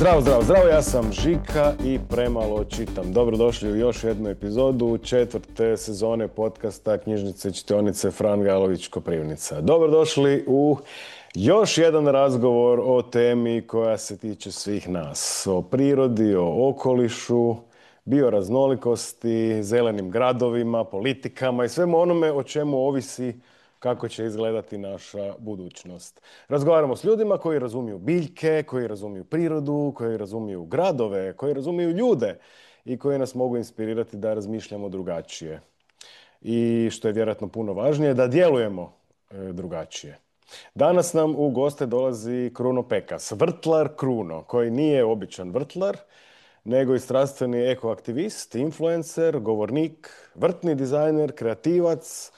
Zdravo, zdravo, zdravo, ja sam Žika i premalo čitam. Dobrodošli u još jednu epizodu četvrte sezone podcasta Knjižnice i čitionice Fran Galović Koprivnica. Dobrodošli u još jedan razgovor o temi koja se tiče svih nas. O prirodi, o okolišu, bioraznolikosti, zelenim gradovima, politikama i svemu onome o čemu ovisi kako će izgledati naša budućnost. Razgovaramo s ljudima koji razumiju biljke, koji razumiju prirodu, koji razumiju gradove, koji razumiju ljude i koji nas mogu inspirirati da razmišljamo drugačije. I što je vjerojatno puno važnije, da djelujemo drugačije. Danas nam u goste dolazi Kruno Pekas, vrtlar Kruno, koji nije običan vrtlar, nego i strastveni ekoaktivist, influencer, govornik, vrtni dizajner, kreativac,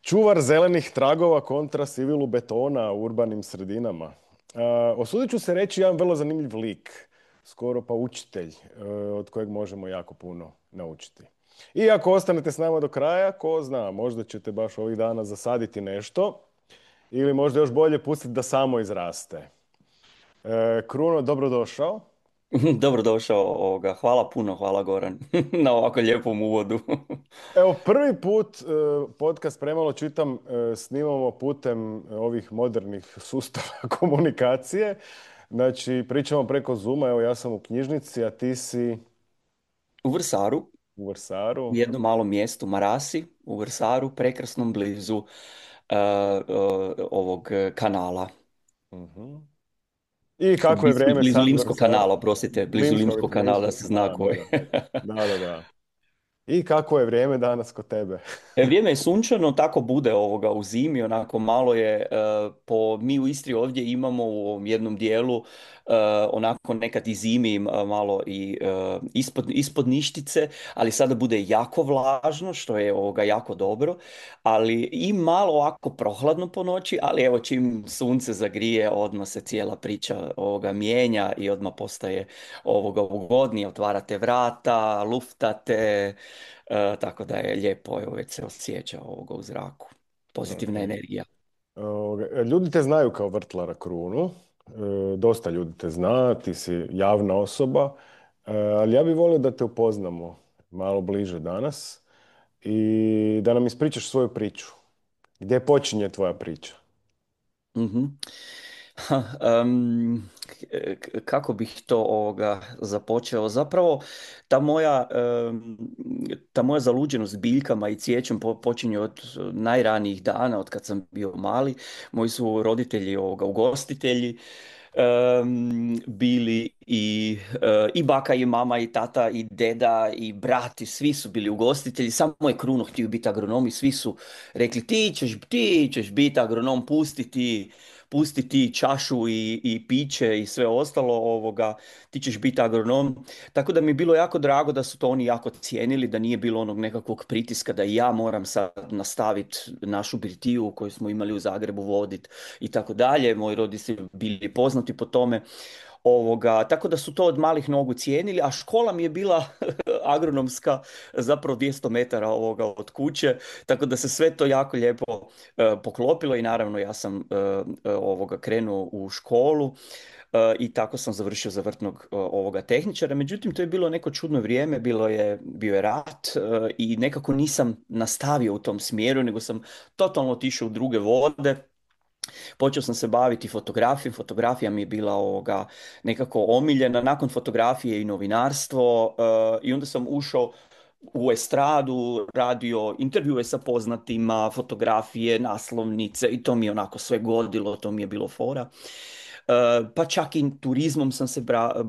čuvar zelenih tragova kontra sivilu betona u urbanim sredinama. Osudit ću se reći jedan vrlo zanimljiv lik, skoro pa učitelj, od kojeg možemo jako puno naučiti. I ako ostanete s nama do kraja, ko zna, možda ćete baš ovih dana zasaditi nešto ili možda još bolje pustiti da samo izraste. Kruno, dobrodošao. Dobrodošao ovoga. Hvala puno, hvala Goran na ovako lijepom uvodu. Evo, prvi put podcast Premalo čitam snimamo putem ovih modernih sustava komunikacije. Znači, pričamo preko Zooma, evo ja sam u knjižnici, a ti si U Vrsaru, u u Vrsaru. jednom malom mjestu, Marasi, u Vrsaru, prekrasnom blizu ovog kanala. Mhm. I kako je vrijeme Blizu sad u Limskog kanala, Vrsaru? oprostite, blizu Limskog kanala, da se zna Da, koji. da, da, da. I kako je vrijeme danas kod tebe? Vrijeme je sunčano, tako bude ovoga u zimi, onako malo je, mi u Istri ovdje imamo u ovom jednom dijelu, onako nekad i zimi malo i ispod ništice, ali sada bude jako vlažno, što je ovoga jako dobro, ali i malo ovako prohladno po noći, ali evo čim sunce zagrije, odmah se cijela priča ovoga mijenja i odmah postaje ovoga ugodnije, otvarate vrata, luftate. Tako da je lijepo, evo već se osjeća ovoga u zraku. Pozitivna Mhm. energija. Ljudi te znaju kao vrtlara Krunu. Dosta ljudi te zna, ti si javna osoba. Ali ja bih volio da te upoznamo malo bliže danas i da nam ispričaš svoju priču. Gdje počinje tvoja priča? Mhm. Ha, kako bih to započeo? Zapravo, ta moja, ta moja zaluđenost biljkama i cvijećem počinje od najranijih dana, od kad sam bio mali. Moji su roditelji ugostitelji, bili i baka i mama i tata i deda i brat i svi su bili ugostitelji. Samo je Kruno htio biti agronom i svi su rekli ti ćeš biti agronom, pusti ti čašu i piće i sve ostalo, ti ćeš biti agronom. Tako da mi je bilo jako drago da su to oni jako cijenili, da nije bilo onog nekakvog pritiska da i ja moram sad nastaviti našu birtiju koju smo imali u Zagrebu vodit i tako dalje. Moji roditelji bili poznati po tome. Tako da su to od malih nogu cijenili, a škola mi je bila agronomska, zapravo 200 metara od kuće, tako da se sve to jako lijepo poklopilo i naravno ja sam krenuo u školu. I tako sam završio za vrtnog ovoga tehničara. Međutim, to je bilo neko čudno vrijeme, bio je rat i nekako nisam nastavio u tom smjeru, nego sam totalno otišao u druge vode. Počeo sam se baviti fotografijom, fotografija mi je bila nekako omiljena, nakon fotografije i novinarstvo, i onda sam ušao u estradu, radio intervjue sa poznatima, fotografije, naslovnice i to mi je onako sve godilo, to mi je bilo fora. Pa čak i turizmom sam se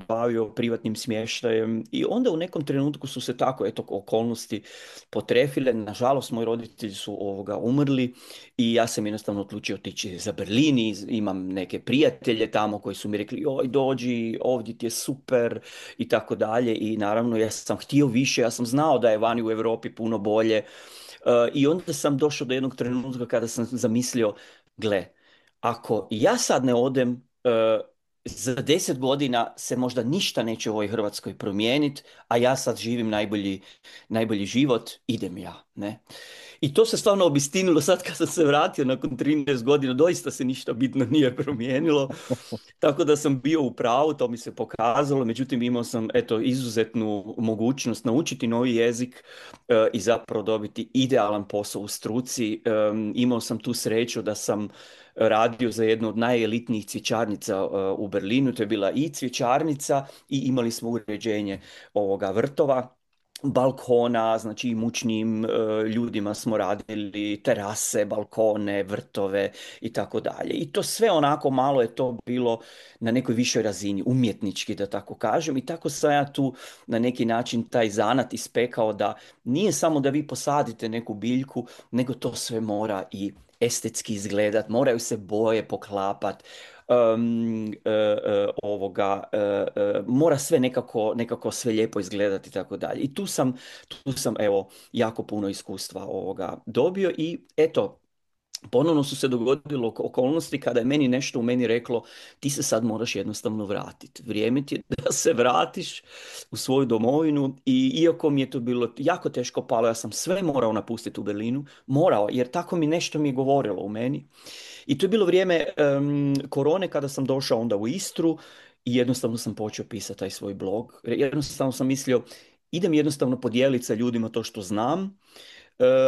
bavio, privatnim smještajem i onda u nekom trenutku su se tako okolnosti potrefile. Nažalost, moji roditelji su umrli i ja sam jednostavno odlučio otići za Berlin i imam neke prijatelje tamo koji su mi rekli oj dođi, ovdje ti je super i tako dalje i naravno ja sam htio više, ja sam znao da je vani u Europi puno bolje. I onda sam došao do jednog trenutka kada sam zamislio, gle, ako ja sad ne odem, za 10 godina se možda ništa neće u ovoj Hrvatskoj promijeniti, a ja sad živim najbolji život, idem ja, ne? I to se stvarno obistinilo sad kad sam se vratio nakon 13 godina, doista se ništa bitno nije promijenilo. Tako da sam bio u pravu, to mi se pokazalo, međutim imao sam eto izuzetnu mogućnost naučiti novi jezik i zapravo dobiti idealan posao u struci. Imao sam tu sreću da sam radio za jednu od najelitnijih cvjećarnica u Berlinu, to je bila i cvjećarnica i imali smo uređenje ovoga vrtova, balkona, znači i mučnim ljudima smo radili terase, balkone, vrtove i tako dalje. I to sve onako malo je to bilo na nekoj višoj razini, umjetnički da tako kažem. I tako sam ja tu na neki način taj zanat ispekao da nije samo da vi posadite neku biljku, nego to sve mora i estetski izgledat, moraju se boje poklapat, mora sve nekako sve lijepo izgledati i tako dalje. I tu sam evo jako puno iskustva ovoga dobio i eto, ponovno su se dogodilo okolnosti kada je meni nešto u meni reklo ti se sad moraš jednostavno vratiti. Vrijeme ti je da se vratiš u svoju domovinu i iako mi je to bilo jako teško palo, ja sam sve morao napustiti u Berlinu, morao, jer tako mi je govorilo u meni. I to je bilo vrijeme korone kada sam došao onda u Istru i jednostavno sam počeo pisati taj svoj blog. Jednostavno sam mislio idem jednostavno podijeliti sa ljudima to što znam.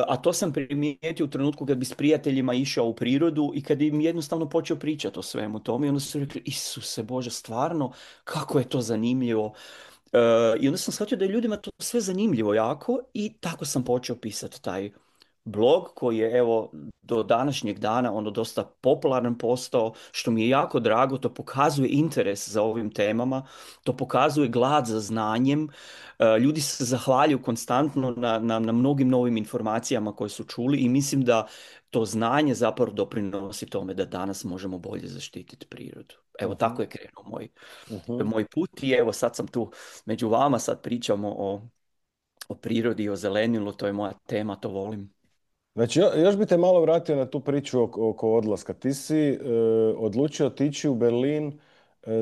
A to sam primijetio u trenutku kad bi s prijateljima išao u prirodu i kad im jednostavno počeo pričati o svemu tome i onda su rekli, Isuse Bože, stvarno, kako je to zanimljivo. I onda sam shvatio da je ljudima to sve zanimljivo jako i tako sam počeo pisati taj blog koji je evo do današnjeg dana ono dosta popularan postao, što mi je jako drago, to pokazuje interes za ovim temama, to pokazuje glad za znanjem. Ljudi se zahvaljuju konstantno na mnogim novim informacijama koje su čuli i mislim da to znanje zapravo doprinosi tome da danas možemo bolje zaštititi prirodu. Evo Mhm, tako je krenuo mhm. moj put i evo sad sam tu među vama, sad pričamo o prirodi, o zelenilu, to je moja tema, to volim. Znači, još bi te malo vratio na tu priču oko odlaska. Ti si odlučio otići u Berlin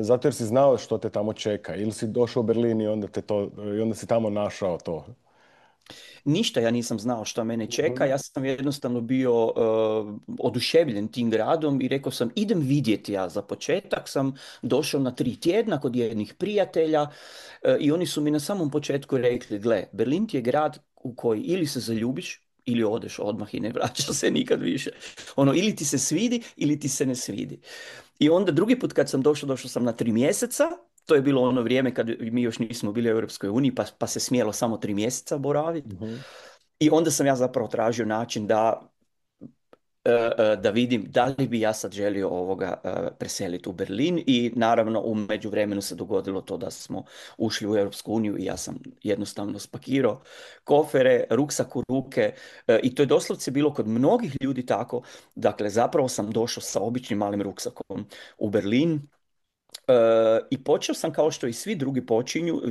zato jer si znao što te tamo čeka. Ili si došao u Berlin i onda, i onda si tamo našao to. Ništa ja nisam znao što mene čeka, Mhm, ja sam jednostavno bio oduševljen tim gradom i rekao sam idem vidjeti ja za početak, sam došao na 3 tjedna kod jednih prijatelja i oni su mi na samom početku rekli, gle, Berlin ti je grad u koji ili se zaljubiš ili odeš odmah i ne vraćaš se nikad više. Ono, ili ti se svidi ili ti se ne svidi. I onda drugi put kad sam došao sam na 3 mjeseca. To je bilo ono vrijeme kad mi još nismo bili u Europskoj uniji, pa se smjelo samo 3 mjeseca boraviti. mhm, I onda sam ja zapravo tražio način da vidim da li bi ja sad želio preseliti u Berlin i naravno u međuvremenu se dogodilo to da smo ušli u Europsku uniju i ja sam jednostavno spakirao kofere, ruksak u ruke i to je doslovce bilo kod mnogih ljudi tako. Dakle, zapravo sam došao sa običnim malim ruksakom u Berlin. I počeo sam kao što i svi drugi počinju,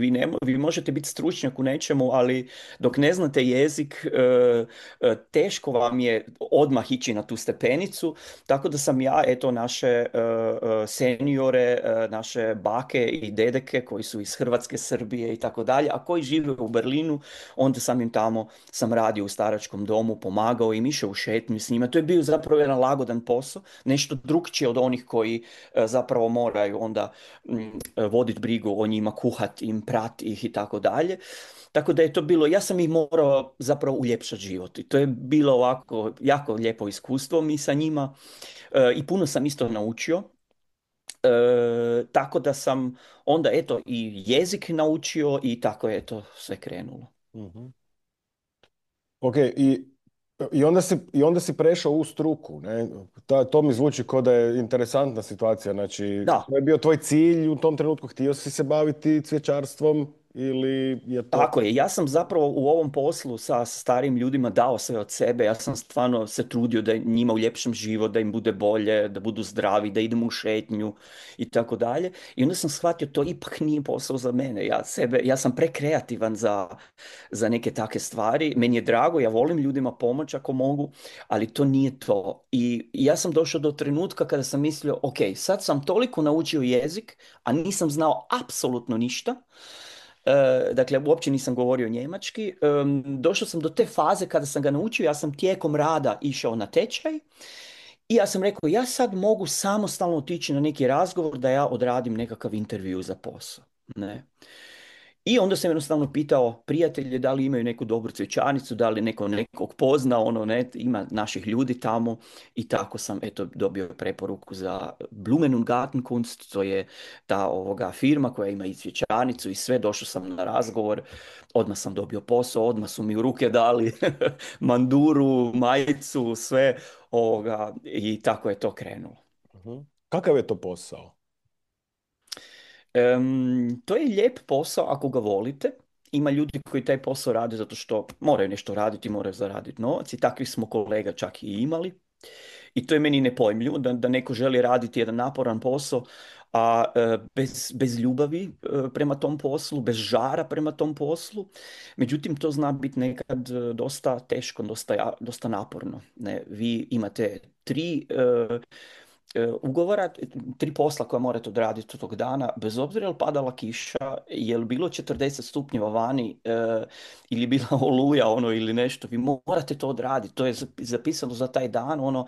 vi možete biti stručnjak u nečemu, ali dok ne znate jezik, teško vam je odmah ići na tu stepenicu, tako da sam ja, eto, naše seniore, naše bake i dedeke koji su iz Hrvatske, Srbije i tako dalje, a koji žive u Berlinu, onda sam im tamo, sam radio u staračkom domu, pomagao im, išao u šetnju s njima. To je bio zapravo jedan lagodan posao, nešto drukčije od onih koji zapravo moraju onda voditi brigu o njima, kuhat im, prat ih i tako dalje. Tako da je to bilo, ja sam ih morao zapravo uljepšati život i to je bilo ovako jako lijepo iskustvo mi sa njima i puno sam isto naučio. Tako da sam onda eto i jezik naučio i tako je to sve krenulo. mhm. Ok, i onda si prešao u struku, ne? To mi zvuči kao da je interesantna situacija. Znači, Da, to je bio tvoj cilj u tom trenutku, htio si se baviti cvjećarstvom ili je to... tako je. Ja sam zapravo u ovom poslu sa starim ljudima dao sve od sebe. Ja sam stvarno se trudio da njima uljepšam život, da im bude bolje, da budu zdravi, da idemo u šetnju i tako dalje. I onda sam shvatio to ipak nije posao za mene. Ja sam prekreativan za neke takve stvari. Meni je drago, ja volim ljudima pomoći ako mogu, ali to nije to. I ja sam došao do trenutka kada sam mislio, ok, sad sam toliko naučio jezik, a nisam znao apsolutno ništa. Dakle, uopće nisam govorio njemački. Došao sam do te faze kada sam ga naučio, ja sam tijekom rada išao na tečaj i ja sam rekao, ja sad mogu samostalno otići na neki razgovor da ja odradim nekakav intervju za posao. Ne. I onda sam jednostavno pitao prijatelje da li imaju neku dobru cvjećarnicu, da li neko nekog pozna, ono, ne, ima naših ljudi tamo i tako sam, eto, dobio preporuku za Blumen und Gartenkunst, to je ta firma koja ima i cvjećarnicu i sve, došao sam na razgovor, odmah sam dobio posao, odmah su mi u ruke dali manduru, majicu, sve, i tako je to krenulo. Mhm. Kakav je to posao? To je lijep posao ako ga volite. Ima ljudi koji taj posao rade zato što moraju nešto raditi, moraju zaraditi novac i takvih smo kolega čak i imali. I to je meni nepojmljivo da neko želi raditi jedan naporan posao, a bez ljubavi prema tom poslu, bez žara prema tom poslu. Međutim, to zna biti nekad dosta teško, dosta naporno. Ne, vi imate ugovora, 3 posla koja morate odraditi tog dana, bez obzira je li padala kiša, je li bilo 40 stupnjeva vani ili je bila oluja ono ili nešto, vi morate to odraditi, to je zapisano za taj dan, ono,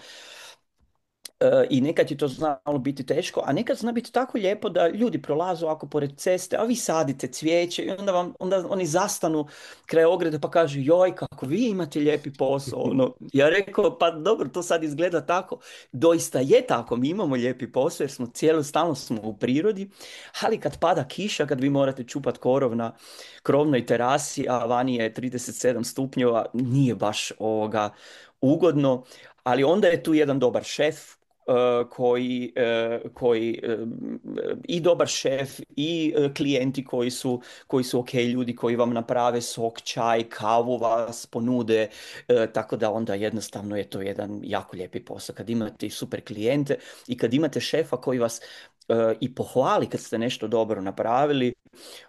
i nekad je to znalo biti teško, a nekad zna biti tako lijepo da ljudi prolaze ovako pored ceste, a vi sadite cvijeće i onda oni zastanu kraj ograde pa kažu joj kako vi imate lijepi posao. Ono, ja rekao pa dobro to sad izgleda tako. Doista je tako, mi imamo lijepi posao jer smo stalno smo u prirodi, ali kad pada kiša, kad vi morate čupat korov na krovnoj terasi, a vani je 37 stupnjeva, nije baš ugodno, ali onda je tu jedan dobar šef koji i dobar šef i klijenti koji su ok ljudi koji vam naprave sok, čaj, kavu vas ponude, tako da onda jednostavno je to jedan jako lijepi posao kad imate i super klijente i kad imate šefa koji vas i pohvali kad ste nešto dobro napravili,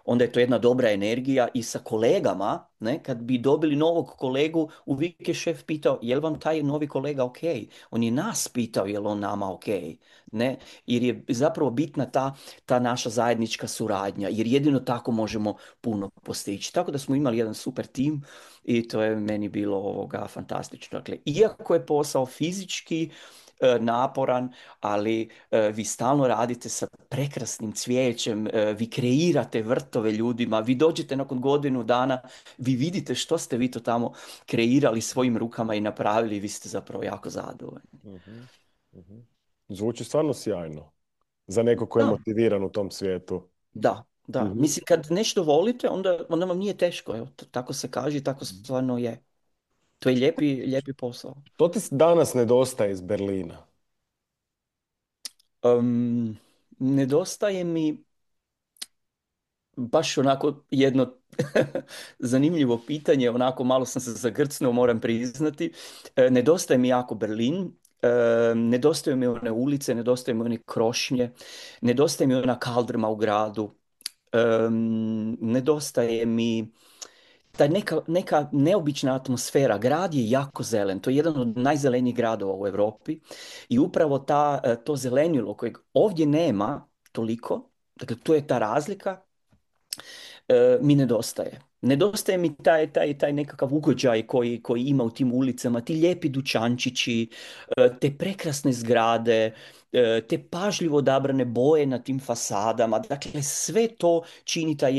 onda je to jedna dobra energija i sa kolegama, ne, kad bi dobili novog kolegu, uvijek je šef pitao, je li vam taj novi kolega ok? On je nas pitao, je li on nama ok? Ne, jer je zapravo bitna ta naša zajednička suradnja, jer jedino tako možemo puno postići. Tako da smo imali jedan super tim i to je meni bilo fantastično. Dakle, iako je posao fizički naporan, ali vi stalno radite sa prekrasnim cvijećem, vi kreirate vrtove ljudima, vi dođete nakon godinu dana, vi vidite što ste vi to tamo kreirali svojim rukama i napravili i vi ste zapravo jako zadovoljni. Mhm, mhm. Zvuči stvarno sjajno za neko ko je Da, motiviran u tom svijetu. da, da. Mhm. Mislim, kad nešto volite, onda vam nije teško. Evo, tako se kaže i tako stvarno je. To je lijepi posao. To ti danas nedostaje iz Berlina? Nedostaje mi baš onako jedno zanimljivo pitanje, onako malo sam se zagrcnuo, moram priznati. Nedostaje mi jako Berlin, nedostaju mi one ulice, nedostaju mi one krošnje, nedostaje mi ona kaldrma u gradu, nedostaje mi ta neka neobična atmosfera. Grad je jako zelen, to je jedan od najzelenijih gradova u Europi i upravo to zelenilo kojeg ovdje nema toliko, dakle to je ta razlika, mi nedostaje. Nedostaje mi taj nekakav ugođaj koji ima u tim ulicama, ti lijepi dućančići, te prekrasne zgrade, te pažljivo odabrane boje na tim fasadama. Dakle, sve to čini taj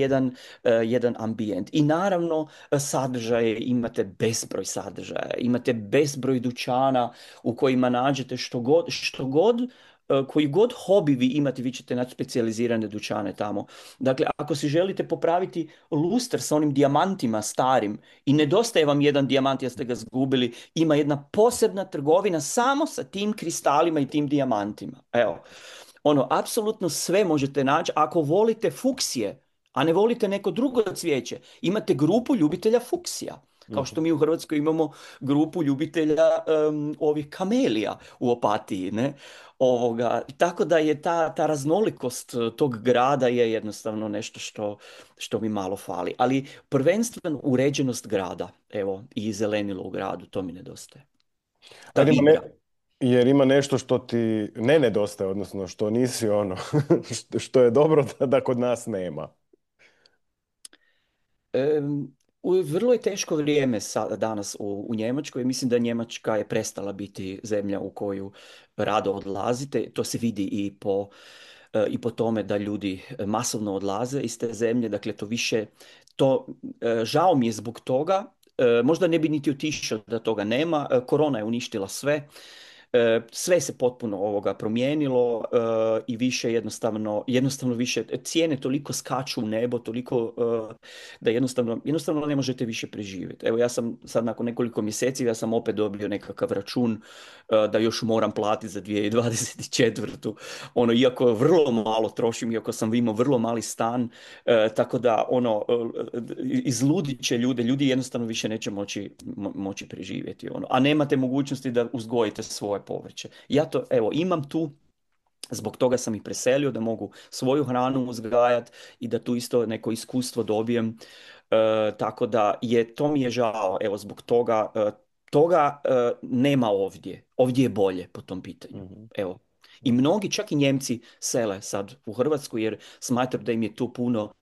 jedan ambijent. I naravno, sadržaje, imate bezbroj sadržaja, imate bezbroj dućana u kojima nađete što god koji god hobi vi imate, vi ćete naći specijalizirane dućane tamo. Dakle, ako si želite popraviti luster sa onim dijamantima starim i nedostaje vam jedan dijamant jer ste ga zgubili, ima jedna posebna trgovina samo sa tim kristalima i tim dijamantima. Evo, ono, apsolutno sve možete naći. Ako volite fuksije, a ne volite neko drugo cvijeće, imate grupu ljubitelja fuksija. Kao što mi u Hrvatskoj imamo grupu ljubitelja ovih kamelija u Opatiji, ne? Tako da je ta raznolikost tog grada je jednostavno nešto što mi malo fali. Ali prvenstveno uređenost grada, evo, i zelenilo u gradu, to mi nedostaje. Ta Ajde, igra. jer ima nešto što ti ne nedostaje, odnosno što nisi ono, što je dobro da kod nas nema. Vrlo je teško vrijeme danas u Njemačkoj. Mislim da Njemačka je prestala biti zemlja u koju rado odlazite. To se vidi i po tome da ljudi masovno odlaze iz te zemlje. Dakle, to više, žao mi je zbog toga. Možda ne bi niti otišao da toga nema. Korona je uništila sve. Sve se potpuno promijenilo i više jednostavno više cijene toliko skaču u nebo, toliko da jednostavno ne možete više preživjeti. Evo ja sam sad nakon nekoliko mjeseci, ja sam opet dobio nekakav račun da još moram platiti za 2024. Iako vrlo malo trošim, iako sam imao vrlo mali stan, tako da izludit će ljudi jednostavno više neće moći preživjeti. A nemate mogućnosti da uzgojite svoje povrće. Ja to, evo, imam tu, zbog toga sam ih preselio, da mogu svoju hranu uzgajati i da tu isto neko iskustvo dobijem. Tako da to mi je žao, evo, zbog toga, nema ovdje. Ovdje je bolje po tom pitanju. Mhm. Evo. I mnogi, čak i Njemci, sele sad u Hrvatsku jer smatram da im je tu puno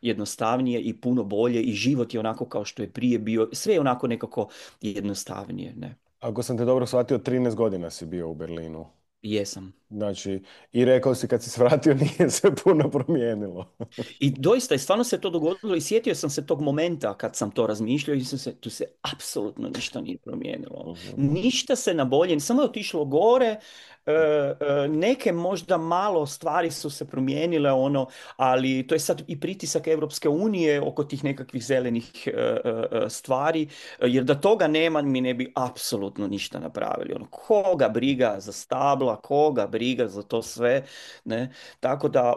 jednostavnije i puno bolje i život je onako kao što je prije bio. Sve je onako nekako jednostavnije, ne? Ako sam te dobro shvatio, 13 godina si bio u Berlinu. Jesam. Znači, i rekao si kad si se vratio nije se puno promijenilo. I doista, i stvarno se to dogodilo i sjetio sam se tog momenta kad sam to razmišljao i tu se apsolutno ništa nije promijenilo. Mhm. Ništa se na bolje, samo je otišlo gore, neke možda malo stvari su se promijenile, ali to je sad i pritisak Europske unije oko tih nekakvih zelenih stvari, jer da toga nema mi ne bi apsolutno ništa napravili. Koga briga za stabla, koga briga za to sve, ne? Tako da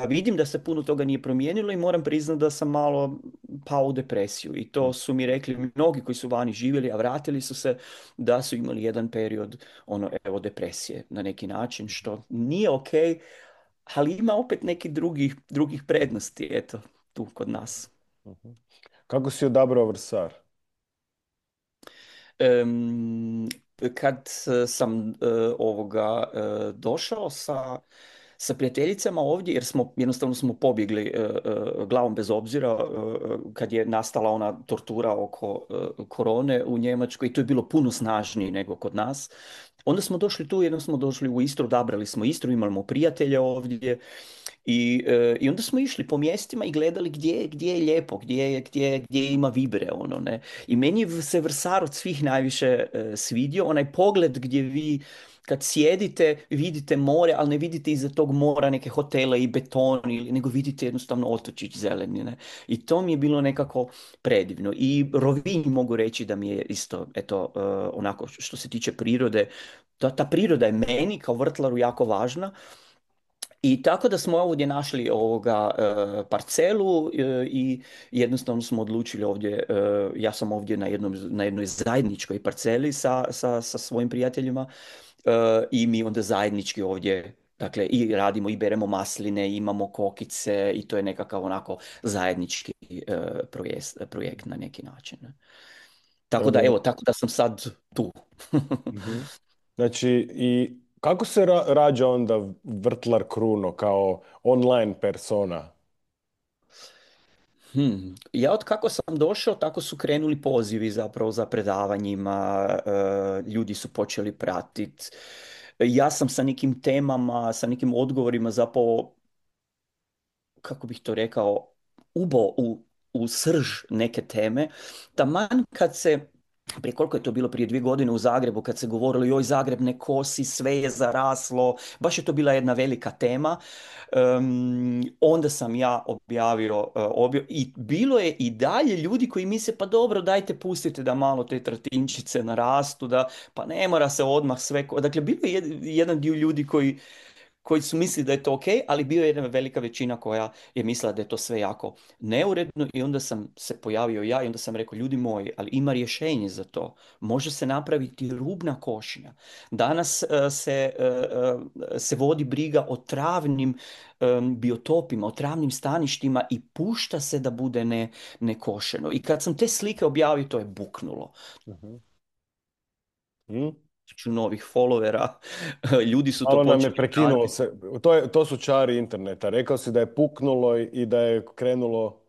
vidim da se puno toga nije promijenilo i moram priznati da sam malo pao u depresiju. I to su mi rekli mnogi koji su vani živjeli, a vratili su se, da su imali jedan period depresije na neki način, što nije ok, ali ima opet neki drugih prednosti, eto, tu kod nas. Mhm. Kako si odabrao Vrsar? Em, kad sam došao sa prijateljicama ovdje, jer jednostavno smo pobjegli glavom bez obzira kad je nastala ona tortura oko korone u Njemačkoj i to je bilo puno snažnije nego kod nas. Onda smo došli tu, jednom smo došli u Istru, odabrali smo Istru, imamo prijatelje ovdje i onda smo išli po mjestima i gledali gdje je lijepo, gdje ima vibre, ne. I meni se Vrsar od svih najviše svidio, onaj pogled gdje vi kad sjedite, vidite more, ali ne vidite iza tog mora neke hotele i beton, nego vidite jednostavno otočić zeleni, ne. I to mi je bilo nekako predivno. I Rovinj mogu reći da mi je isto, eto, onako što se tiče prirode, ta priroda je meni kao vrtlaru jako važna. I tako da smo ovdje našli parcelu i jednostavno smo odlučili ovdje, ja sam ovdje na jednoj zajedničkoj parceli sa svojim prijateljima i mi onda zajednički ovdje, dakle, i radimo i beremo masline, imamo kokice i to je nekakav onako zajednički projekt na neki način. Ne. Tako da, evo, tako da sam sad tu. Mhm. Znači, i kako se rađa onda Vrtlar Kruno kao online persona? Ja od kako sam došao, tako su krenuli pozivi zapravo za predavanjima, ljudi su počeli pratiti. Ja sam sa nekim temama, sa nekim odgovorima zapravo, kako bih to rekao, ubo u srž neke teme. Taman kad se, prije koliko je to bilo, prije 2 godine u Zagrebu, kad se govorilo joj Zagreb ne kosi, sve je zaraslo, baš je to bila jedna velika tema. Onda sam ja objavio i bilo je i dalje ljudi koji misle pa dobro dajte pustite da malo te tratinčice narastu, da pa ne mora se odmah sve, dakle bilo je jedan dio ljudi koji su mislili da je to ok, ali bio je jedna velika većina koja je mislila da je to sve jako neuredno i onda sam se pojavio ja i onda sam rekao ljudi moji, ali ima rješenje za to. Može se napraviti rubna košnja. Danas se vodi briga o travnim biotopima, o travnim staništima i pušta se da bude nekošeno. I kad sam te slike objavio, to je buknulo. Mhm. Mhm. Novih followera, ljudi su to Malo nam je počeli prekinulo pratiti. se. To su čari interneta. Rekao si da je puknulo i da je krenulo.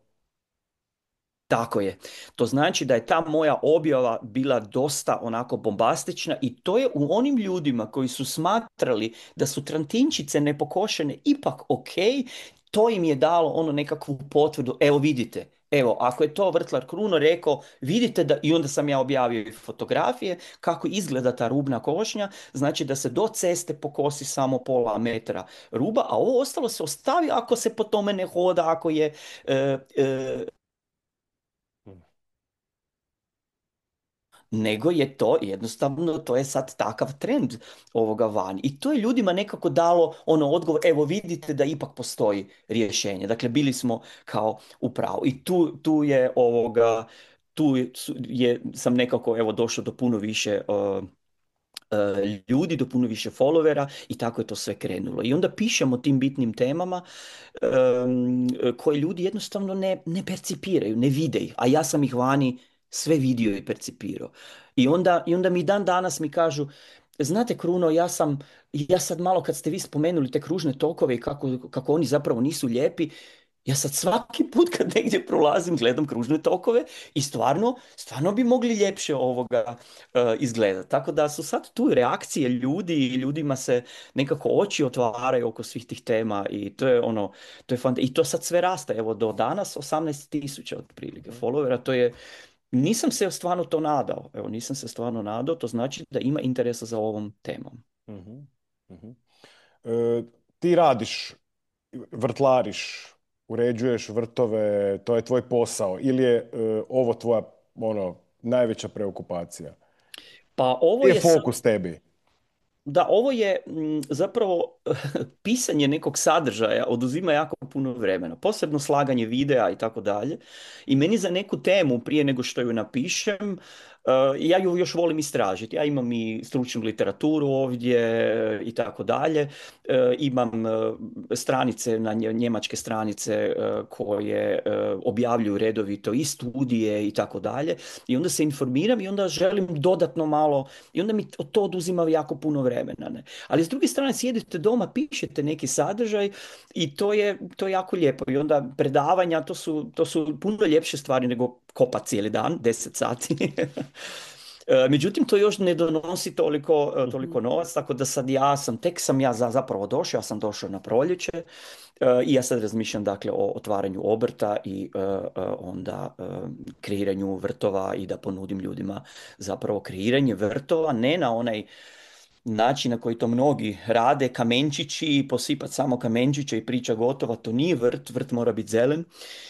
Tako je. To znači da je ta moja objava bila dosta onako bombastična i to je u onim ljudima koji su smatrali da su trantinčice nepokošene ipak ok, to im je dalo ono nekakvu potvrdu, evo vidite, evo ako je to vrtlar Kruno rekao, vidite da, i onda sam ja objavio i fotografije kako izgleda ta rubna košnja, znači da se do ceste pokosi samo pola metra ruba, a ovo ostalo se ostavi ako se po tome ne hoda, ako je nego je to jednostavno, to je sad takav trend ovoga van. I to je ljudima nekako dalo ono odgovor, evo vidite da ipak postoji rješenje. Dakle, bili smo kao u pravu. I tu je ovoga, sam nekako evo došao do puno više ljudi, do puno više followera i tako je to sve krenulo. I onda pišemo o tim bitnim temama koje ljudi jednostavno ne percipiraju, ne vide ih, a ja sam ih vani sve vidio i percipirao. I onda mi dan danas mi kažu, znate Kruno, ja sad malo kad ste vi spomenuli te kružne tokove i kako oni zapravo nisu lijepi, ja sad svaki put kad negdje prolazim gledam kružne tokove i stvarno bi mogli ljepše izgledati. Tako da su sad tu reakcije ljudi i ljudima se nekako oči otvaraju oko svih tih tema i to je ono, i to sad sve raste. Evo do danas 18.000 otprilike followera, to je, nisam se stvarno to nadao. Evo, nisam se stvarno nadao, to znači da ima interesa za ovom temom. Mhm, mhm. Ti radiš, vrtlariš, uređuješ vrtove, to je tvoj posao ili je ovo tvoja ono najveća preokupacija? Pa ovo Gdje je je fokus tebi? Da, ovo je zapravo pisanje nekog sadržaja oduzima jako puno vremena, posebno slaganje videa i tako dalje. I meni za neku temu prije nego što ju napišem, ja ju još volim istražiti. Ja imam i stručnu literaturu ovdje i tako dalje. Imam stranice, njemačke stranice koje objavljuju redovito i studije i tako dalje. I onda se informiram i onda želim dodatno malo, i onda mi to oduzima jako puno vremena. Ne? Ali s druge strane sjedite doma, pišete neki sadržaj i to je jako lijepo. I onda predavanja, to su puno ljepše stvari nego kopat cijeli dan, 10 sati. Međutim, to još ne donosi toliko novac, tako da sad tek sam ja zapravo došao, ja sam došao na proljeće i ja sad razmišljam dakle o otvaranju obrta i onda kreiranju vrtova i da ponudim ljudima zapravo kreiranje vrtova, ne na onaj način na koji to mnogi rade, kamenčići, posipati samo kamenčiće i priča gotova, to nije vrt, vrt mora biti zelen,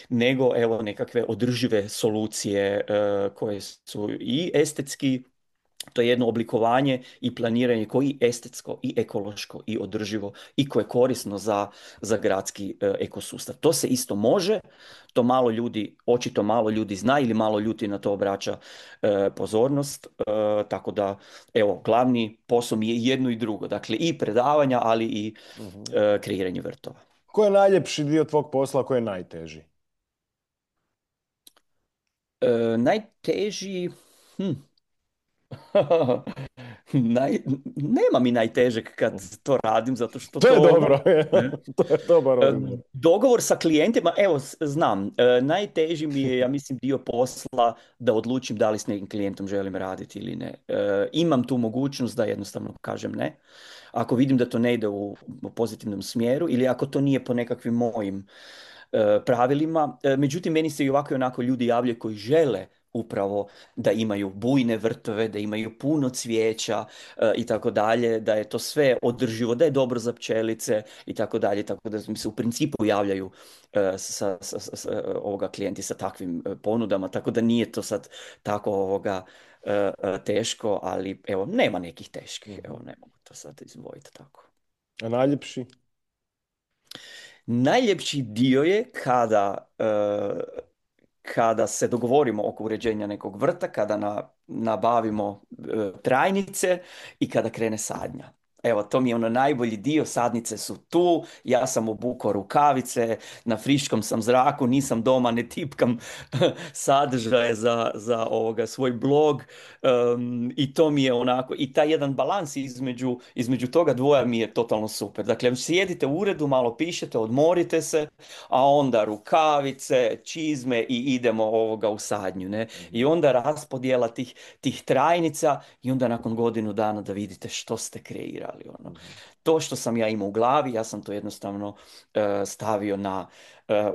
nego evo nekakve održive solucije koje su i estetski, to je jedno oblikovanje i planiranje koji je estetsko i ekološko i održivo i koje je korisno za gradski ekosustav. To se isto može, to malo ljudi, očito malo ljudi zna ili malo ljudi na to obraća pozornost, tako da evo, glavni posao mi je jedno i drugo, dakle i predavanja, ali i kreiranje vrtova. Ko je najljepši dio tvog posla, ko je najteži? Najteži... Nema mi najtežeg kad to radim, zato što To je to... dobro, to je dobar odgovor. Dogovor sa klijentima, evo, znam, najteži mi je, ja mislim, dio posla da odlučim da li s nekim klijentom želim raditi ili ne. Imam tu mogućnost da jednostavno kažem ne. Ako vidim da to ne ide u pozitivnom smjeru ili ako to nije po nekakvim mojim pravilima. Međutim, meni se i ovako i onako ljudi javljaju koji žele upravo da imaju bujne vrtove, da imaju puno cvijeća i tako dalje, da je to sve održivo, da je dobro za pčelice i tako dalje, tako da mi se u principu javljaju ovoga klijenti sa takvim ponudama, tako da nije to sad tako teško, ali evo, nema nekih teških, evo, ne mogu to sad izdvojiti tako. A najljepši? Najljepši dio je kada se dogovorimo oko uređenja nekog vrta, kada nabavimo trajnice i kada krene sadnja. Evo, to mi je ono najbolji dio, sadnice su tu, ja sam obukao rukavice, na friškom sam zraku, nisam doma, ne tipkam sadržaje za svoj blog. I to mi je onako, i taj jedan balans između toga dvoja mi je totalno super. Dakle, sjedite u uredu, malo pišete, odmorite se, a onda rukavice, čizme i idemo u sadnju, ne? I onda raspodjela tih trajnica i onda nakon godinu dana da vidite što ste kreirali. Ono. To što sam ja imao u glavi, ja sam to jednostavno stavio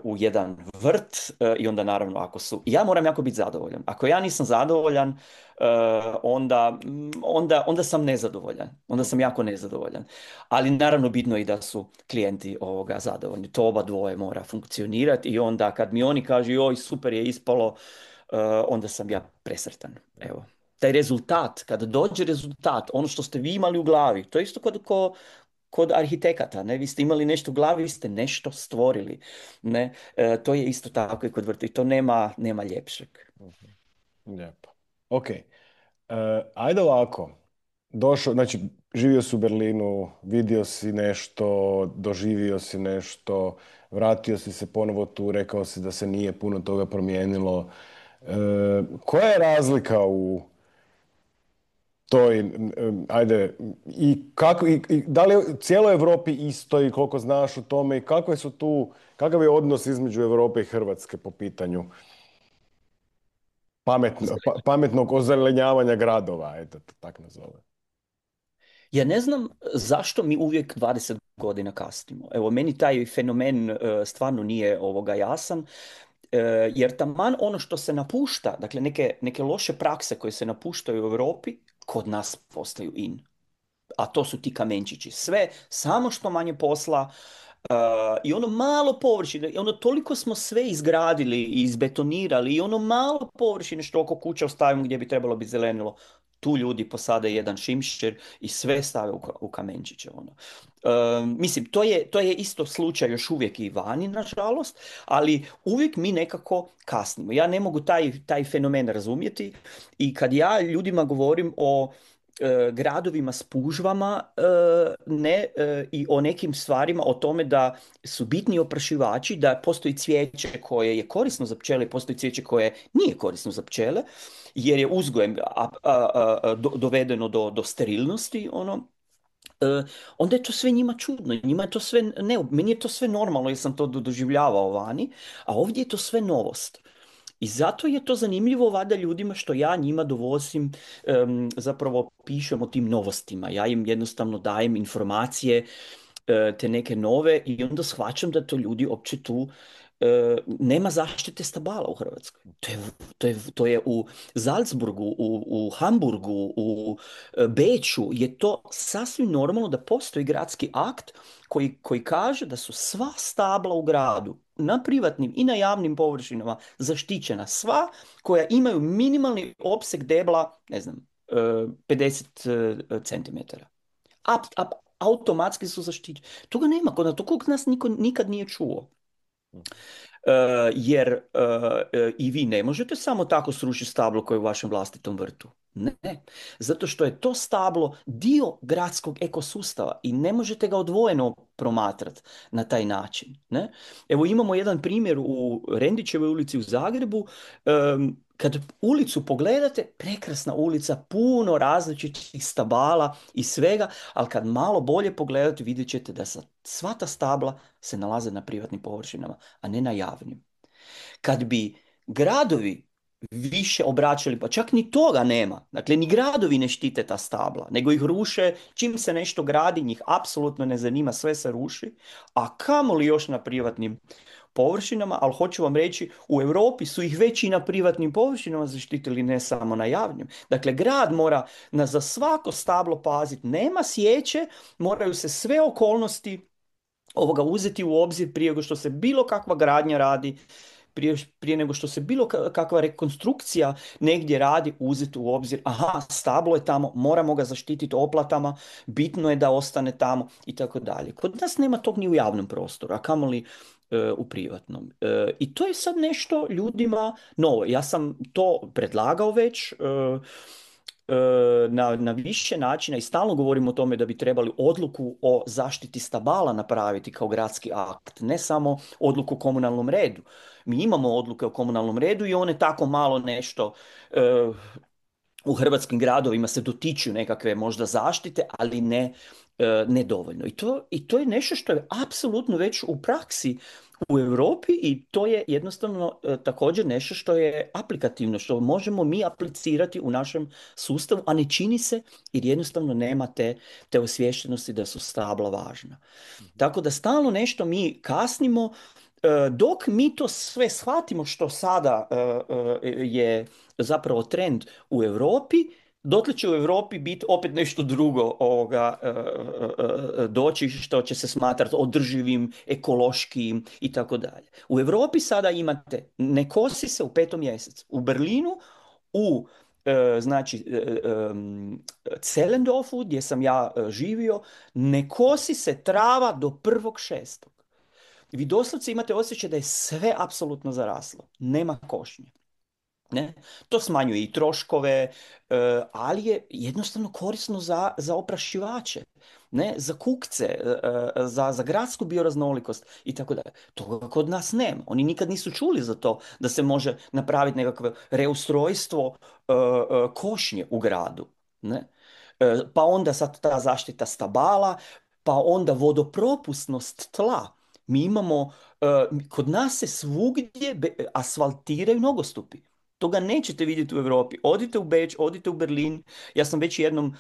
u jedan vrt i onda naravno ja moram jako biti zadovoljan. Ako ja nisam zadovoljan, onda sam nezadovoljan. Onda sam jako nezadovoljan. Ali naravno bitno je i da su klijenti zadovoljni. To oba dvoje mora funkcionirati i onda kad mi oni kažu joj super je ispalo, onda sam ja presretan. Evo. Taj rezultat, kada dođe rezultat, ono što ste vi imali u glavi, to je isto kod arhitekata, ne? Vi ste imali nešto u glavi, vi ste nešto stvorili, ne? To je isto tako i kod vrta i to nema ljepšeg. Lijepo. Ok. Ajde ovako. Došao, znači, živio si u Berlinu, vidio si nešto, doživio si nešto, vratio si se ponovo tu, rekao si da se nije puno toga promijenilo. Koja je razlika u toj, ajde, i kako, i da li je u cijeloj Europi isto i koliko znaš o tome i kakve su tu, kakav je odnos između Europe i Hrvatske po pitanju pametnog ozelenjavanja gradova, eto, tak nazove. Ja ne znam zašto mi uvijek 20 godina kasnimo. Evo, meni taj fenomen stvarno nije jasan. Jer taman ono što se napušta, dakle neke loše prakse koje se napuštaju u Europi, kod nas postaju in. A to su ti kamenčići. Sve, samo što manje posla, i ono malo površine, i ono toliko smo sve izgradili i izbetonirali i ono malo površine što oko kuća ostavimo gdje bi trebalo biti zelenilo, tu ljudi posade jedan šimšer i sve stave u kamenčiće. Ono. Mislim, to je isto slučaj još uvijek i vani, nažalost, ali uvijek mi nekako kasnimo. Ja ne mogu taj fenomen razumjeti i kad ja ljudima govorim o gradovima s pužvama i o nekim stvarima, o tome da su bitni oprašivači, da postoji cvijeće koje je korisno za pčele, postoji cvijeće koje nije korisno za pčele, jer je uzgojem dovedeno do sterilnosti, onda je to sve njima čudno, njima je to sve meni je to sve normalno jer sam to doživljavao vani, a ovdje je to sve novost. I zato je to zanimljivo vada ljudima što ja njima dovozim, zapravo pišem o tim novostima. Ja im jednostavno dajem informacije, te neke nove i onda shvaćam da to ljudi uopće tu nema zaštite stabala u Hrvatskoj. To je u Salzburgu, u Hamburgu, u Beču je to sasvim normalno da postoji gradski akt koji kaže da su sva stabla u gradu na privatnim i na javnim površinama zaštićena, sva koja imaju minimalni opseg debla, ne znam, 50 centimetara. Automatski su zaštićeni. Toga nema kod nas niko nikad nije čuo. Jer i vi ne možete samo tako srušiti stablo koje je u vašem vlastitom vrtu. Ne, zato što je to stablo dio gradskog ekosustava i ne možete ga odvojeno promatrati na taj način. Ne? Evo imamo jedan primjer u Rendićevoj ulici u Zagrebu. Kad ulicu pogledate, prekrasna ulica, puno različitih stabala i svega, ali kad malo bolje pogledate vidjet ćete da sva ta stabla se nalaze na privatnim površinama, a ne na javnim. Kad bi gradovi više obraćali, pa čak ni toga nema. Dakle, ni gradovi ne štite ta stabla, nego ih ruše. Čim se nešto gradi, njih apsolutno ne zanima, sve se ruši. A kamoli još na privatnim površinama, ali hoću vam reći, u Europi su ih već i na privatnim površinama zaštitili, ne samo na javnim. Dakle, grad mora za svako stablo paziti. Nema sječe, moraju se sve okolnosti uzeti u obzir prije nego što se bilo kakva gradnja radi, prije nego što se bilo kakva rekonstrukcija negdje radi, uzeti u obzir, aha, stablo je tamo, moramo ga zaštititi oplatama, bitno je da ostane tamo i tako dalje. Kod nas nema tog ni u javnom prostoru, a kamoli u privatnom. I to je sad nešto ljudima novo. Ja sam to predlagao već, na više načina i stalno govorimo o tome da bi trebali odluku o zaštiti stabala napraviti kao gradski akt, ne samo odluku o komunalnom redu. Mi imamo odluke o komunalnom redu i one tako malo nešto u hrvatskim gradovima se dotiču nekakve možda zaštite, ali ne dovoljno. I to je nešto što je apsolutno već u praksi u Europi i to je jednostavno također nešto što je aplikativno, što možemo mi aplicirati u našem sustavu, a ne čini se jer jednostavno nema te osviještenosti da su stabla važna. Tako da stalno nešto mi kasnimo, dok mi to sve shvatimo što sada je zapravo trend u Europi, dotle će u Europi biti opet nešto drugo doći što će se smatrati održivim, ekološkim i tako dalje. U Europi sada imate ne kosi se u 5. mjesecu. U Berlinu, u znači Zehlendorfu gdje sam ja živio, ne kosi se trava do 1.6. Vi doslovce imate osjećaj da je sve apsolutno zaraslo. Nema košnje. Ne? To smanjuje i troškove, ali je jednostavno korisno za oprašivače, ne? Za kukce, za gradsku bioraznolikost i tako dalje. Toga kod nas nema. Oni nikad nisu čuli za to da se može napraviti nekakvo reustrojstvo košnje u gradu. Ne? Pa onda sad ta zaštita stabala, pa onda vodopropusnost tla. Mi imamo, kod nas se svugdje asfaltiraju nogostupi. Toga nećete vidjeti u Europi. Odite u Beč, odite u Berlin. Ja sam već jednom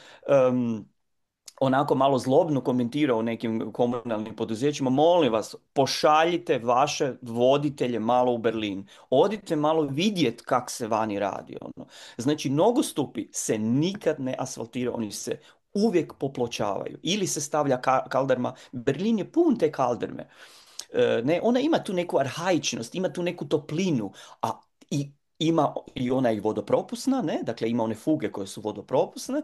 onako malo zlobno komentirao nekim komunalnim poduzećima. Molim vas, pošaljite vaše voditelje malo u Berlin. Odite malo vidjet kak se vani radi. Ono. Znači, nogostupi se nikad ne asfaltiraju. Oni se uvijek popločavaju. Ili se stavlja kalderma. Berlin je pun te kalderme. Ne, ona ima tu neku arhaičnost, ima tu neku toplinu, a ima i ona i vodopropusna, ne? Dakle ima one fuge koje su vodopropusne,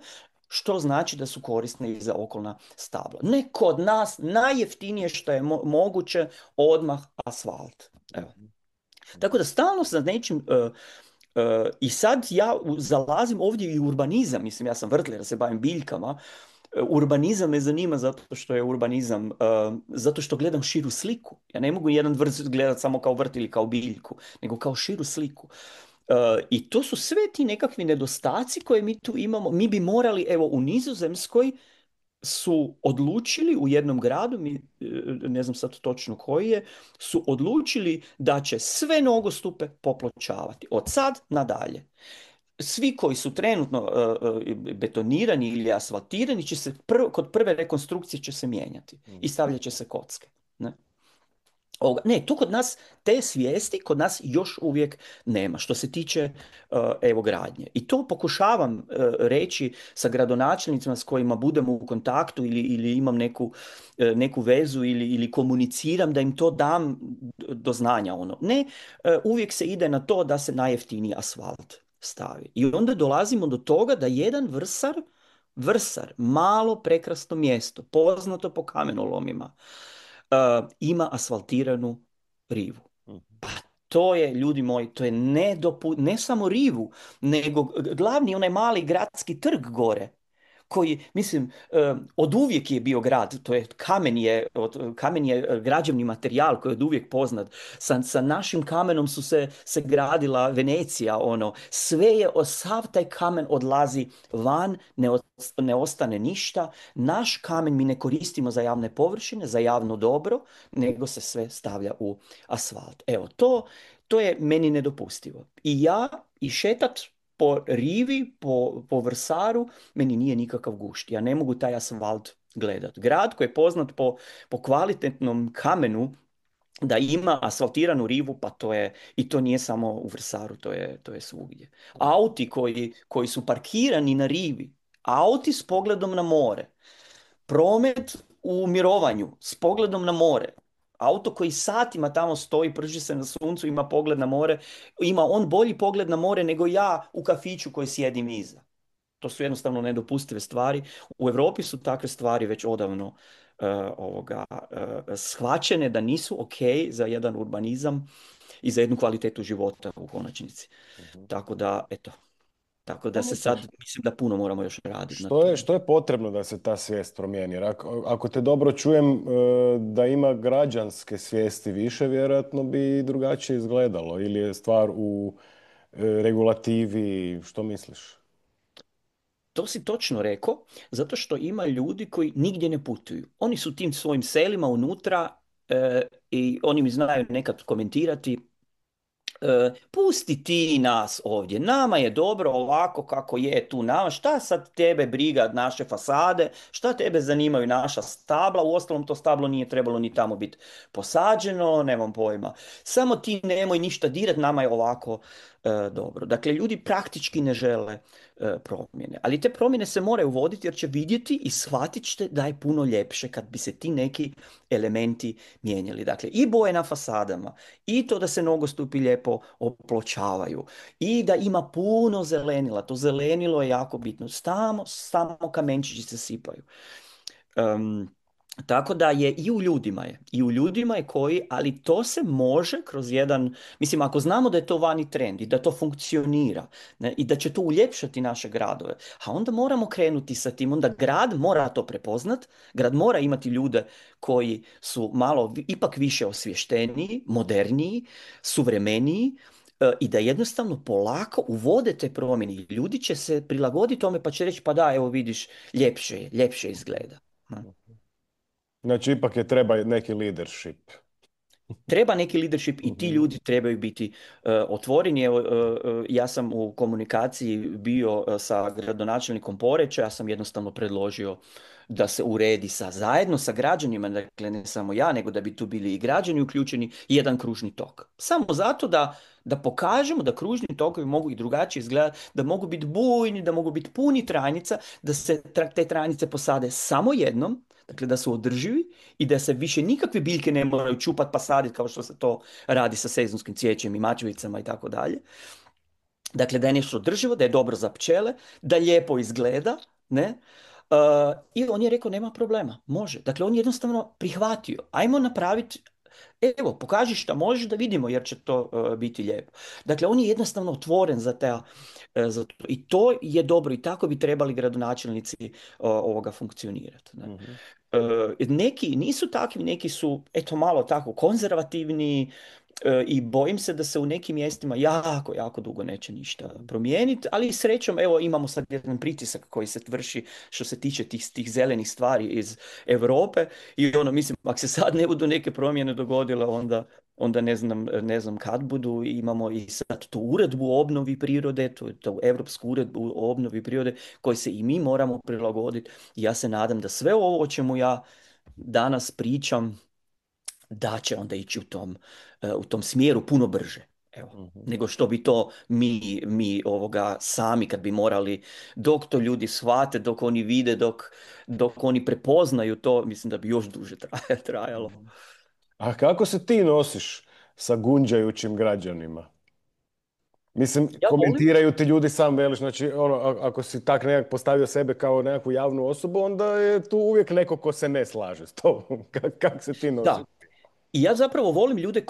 što znači da su korisne i za okolna stabla. Ne kod nas, najjeftinije što je moguće, odmah asfalt. Evo. Tako da stalno sa nečim, i sad ja zalazim ovdje i u urbanizam, mislim ja sam vrtler, se bavim biljkama, urbanizam me zanima zato što je urbanizam, zato što gledam širu sliku. Ja ne mogu jedan vrt gledati samo kao vrt ili kao biljku, nego kao širu sliku. I to su sve ti nekakvi nedostaci koje mi tu imamo. Mi bi morali, evo u Nizozemskoj su odlučili u jednom gradu, ne znam sad točno koji je, su odlučili da će sve nogostupe popločavati. Od sad nadalje. Svi koji su trenutno betonirani ili asfaltirani će se kod prve rekonstrukcije će se mijenjati i stavljat će se kocke. Ne? Ne, to kod nas, te svijesti kod nas još uvijek nema što se tiče evo gradnje. I to pokušavam reći sa gradonačelnicima s kojima budemo u kontaktu ili imam neku vezu ili komuniciram da im to dam do znanja. Ono. Ne, uvijek se ide na to da se najjeftiniji asfalt stavi. I onda dolazimo do toga da jedan vrsar, malo prekrasno mjesto, poznato po kamenolomima, ima asfaltiranu rivu. Pa to je, ljudi moji, to je ne samo rivu, nego glavni onaj mali gradski trg gore, koji, mislim, od uvijek je bio grad, to je kamen je građevni materijal koji je od uvijek poznat. Sa našim kamenom se gradila Venecija, ono, sve je, sav taj kamen odlazi van, ne ostane ništa. Naš kamen mi ne koristimo za javne površine, za javno dobro, nego se sve stavlja u asfalt. Evo, to je meni nedopustivo. I ja, i šetat po rivi, po vrsaru, meni nije nikakav gušt. Ja ne mogu taj asfalt gledat. Grad koji je poznat po kvalitetnom kamenu, da ima asfaltiranu rivu, pa to je, i to nije samo u vrsaru, to je svugdje. Auti koji su parkirani na rivi, auti s pogledom na more, promet u mirovanju s pogledom na more, auto koji satima tamo stoji, prži se na suncu, ima pogled na more, ima on bolji pogled na more nego ja u kafiću koji sjedim iza. To su jednostavno nedopustive stvari. U Europi su takve stvari već odavno shvaćene da nisu ok za jedan urbanizam i za jednu kvalitetu života u konačnici. Tako da, eto, Tako da se Dobro. sad, mislim da puno moramo još raditi na Što je, tome. što je potrebno da se ta svijest promijeni? Jer ako te dobro čujem, da ima građanske svijesti više, vjerojatno bi drugačije izgledalo. Ili je stvar u regulativi, što misliš? To si točno rekao, zato što ima ljudi koji nigdje ne putuju. Oni su tim svojim selima unutra i oni mi znaju nekad komentirati. Pusti ti nas ovdje, nama je dobro ovako kako je tu nama, šta sad tebe briga naše fasade, šta tebe zanimaju naša stabla, uostalom to stablo nije trebalo ni tamo biti posađeno, nemam pojma. Samo ti nemoj ništa dirat, nama je ovako dobro. Dakle, ljudi praktički ne žele promjene, ali te promjene se moraju voditi jer će vidjeti i shvatit ćete da je puno ljepše kad bi se ti neki elementi mijenjali. Dakle, i boje na fasadama, i to da se nogostupi lijepo opločavaju i da ima puno zelenila. To zelenilo je jako bitno. Samo kamenčići se sipaju. Tako da je i u ljudima je koji, ali to se može kroz jedan, mislim ako znamo da je to vani trend i da to funkcionira, ne, i da će to uljepšati naše gradove, a onda moramo krenuti sa tim, onda grad mora to prepoznat, grad mora imati ljude koji su malo ipak više osvješteniji, moderniji, suvremeniji, i da jednostavno polako uvode te promjene. I ljudi će se prilagoditi tome pa će reći pa da, evo vidiš, ljepše izgleda. Ne. Znači, ipak je treba neki leadership. Treba neki leadership i ti Mhm. ljudi trebaju biti otvoreni. Evo, ja sam u komunikaciji bio sa gradonačelnikom Poreča, ja sam jednostavno predložio da se uredi zajedno sa građanima, dakle ne samo ja, nego da bi tu bili i građani uključeni, jedan kružni tok. Samo zato da pokažemo da kružni tokovi mogu i drugačije izgledati, da mogu biti bujni, da mogu biti puni tranica, da se te tranice posade samo jednom, dakle da su održivi i da se više nikakve biljke ne moraju čupat pa saditi kao što se to radi sa sezonskim cvijećem i mačevicama i tako dalje. Dakle, da je nešto održivo, da je dobro za pčele, da lijepo izgleda, ne? I on je rekao, nema problema, može. Dakle, on je jednostavno prihvatio. Ajmo napraviti, evo, pokaži šta možeš da vidimo jer će to biti lijepo. Dakle, on je jednostavno otvoren za to. I to je dobro i tako bi trebali gradonačelnici ovoga funkcionirati. Ne? Mhm. Neki nisu takvi, neki su eto malo tako konzervativni i bojim se da se u nekim mjestima jako dugo neće ništa promijeniti, ali srećom evo imamo sad jedan pritisak koji se vrši što se tiče tih zelenih stvari iz Europe i ono mislim ako se sad ne budu neke promjene dogodile onda ne znam kad budu. Imamo i sad tu uredbu o obnovi prirode, tu Europsku uredbu o obnovi prirode koji se i mi moramo prilagoditi. I ja se nadam da sve ovo o čemu ja danas pričam da će onda ići u tom smjeru puno brže. Evo, Mhm. nego što bi to mi ovoga sami kad bi morali, dok to ljudi shvate, dok oni vide, dok oni prepoznaju to, mislim da bi još duže trajalo. Mhm. A kako se ti nosiš sa gunđajućim građanima? Mislim, Ja volim. komentiraju ti ljudi, sam veliš, znači ono, ako si tak nekak postavio sebe kao nekakvu javnu osobu, onda je tu uvijek neko ko se ne slaže s tobom. Kako se ti nosiš? Da, i ja zapravo volim ljude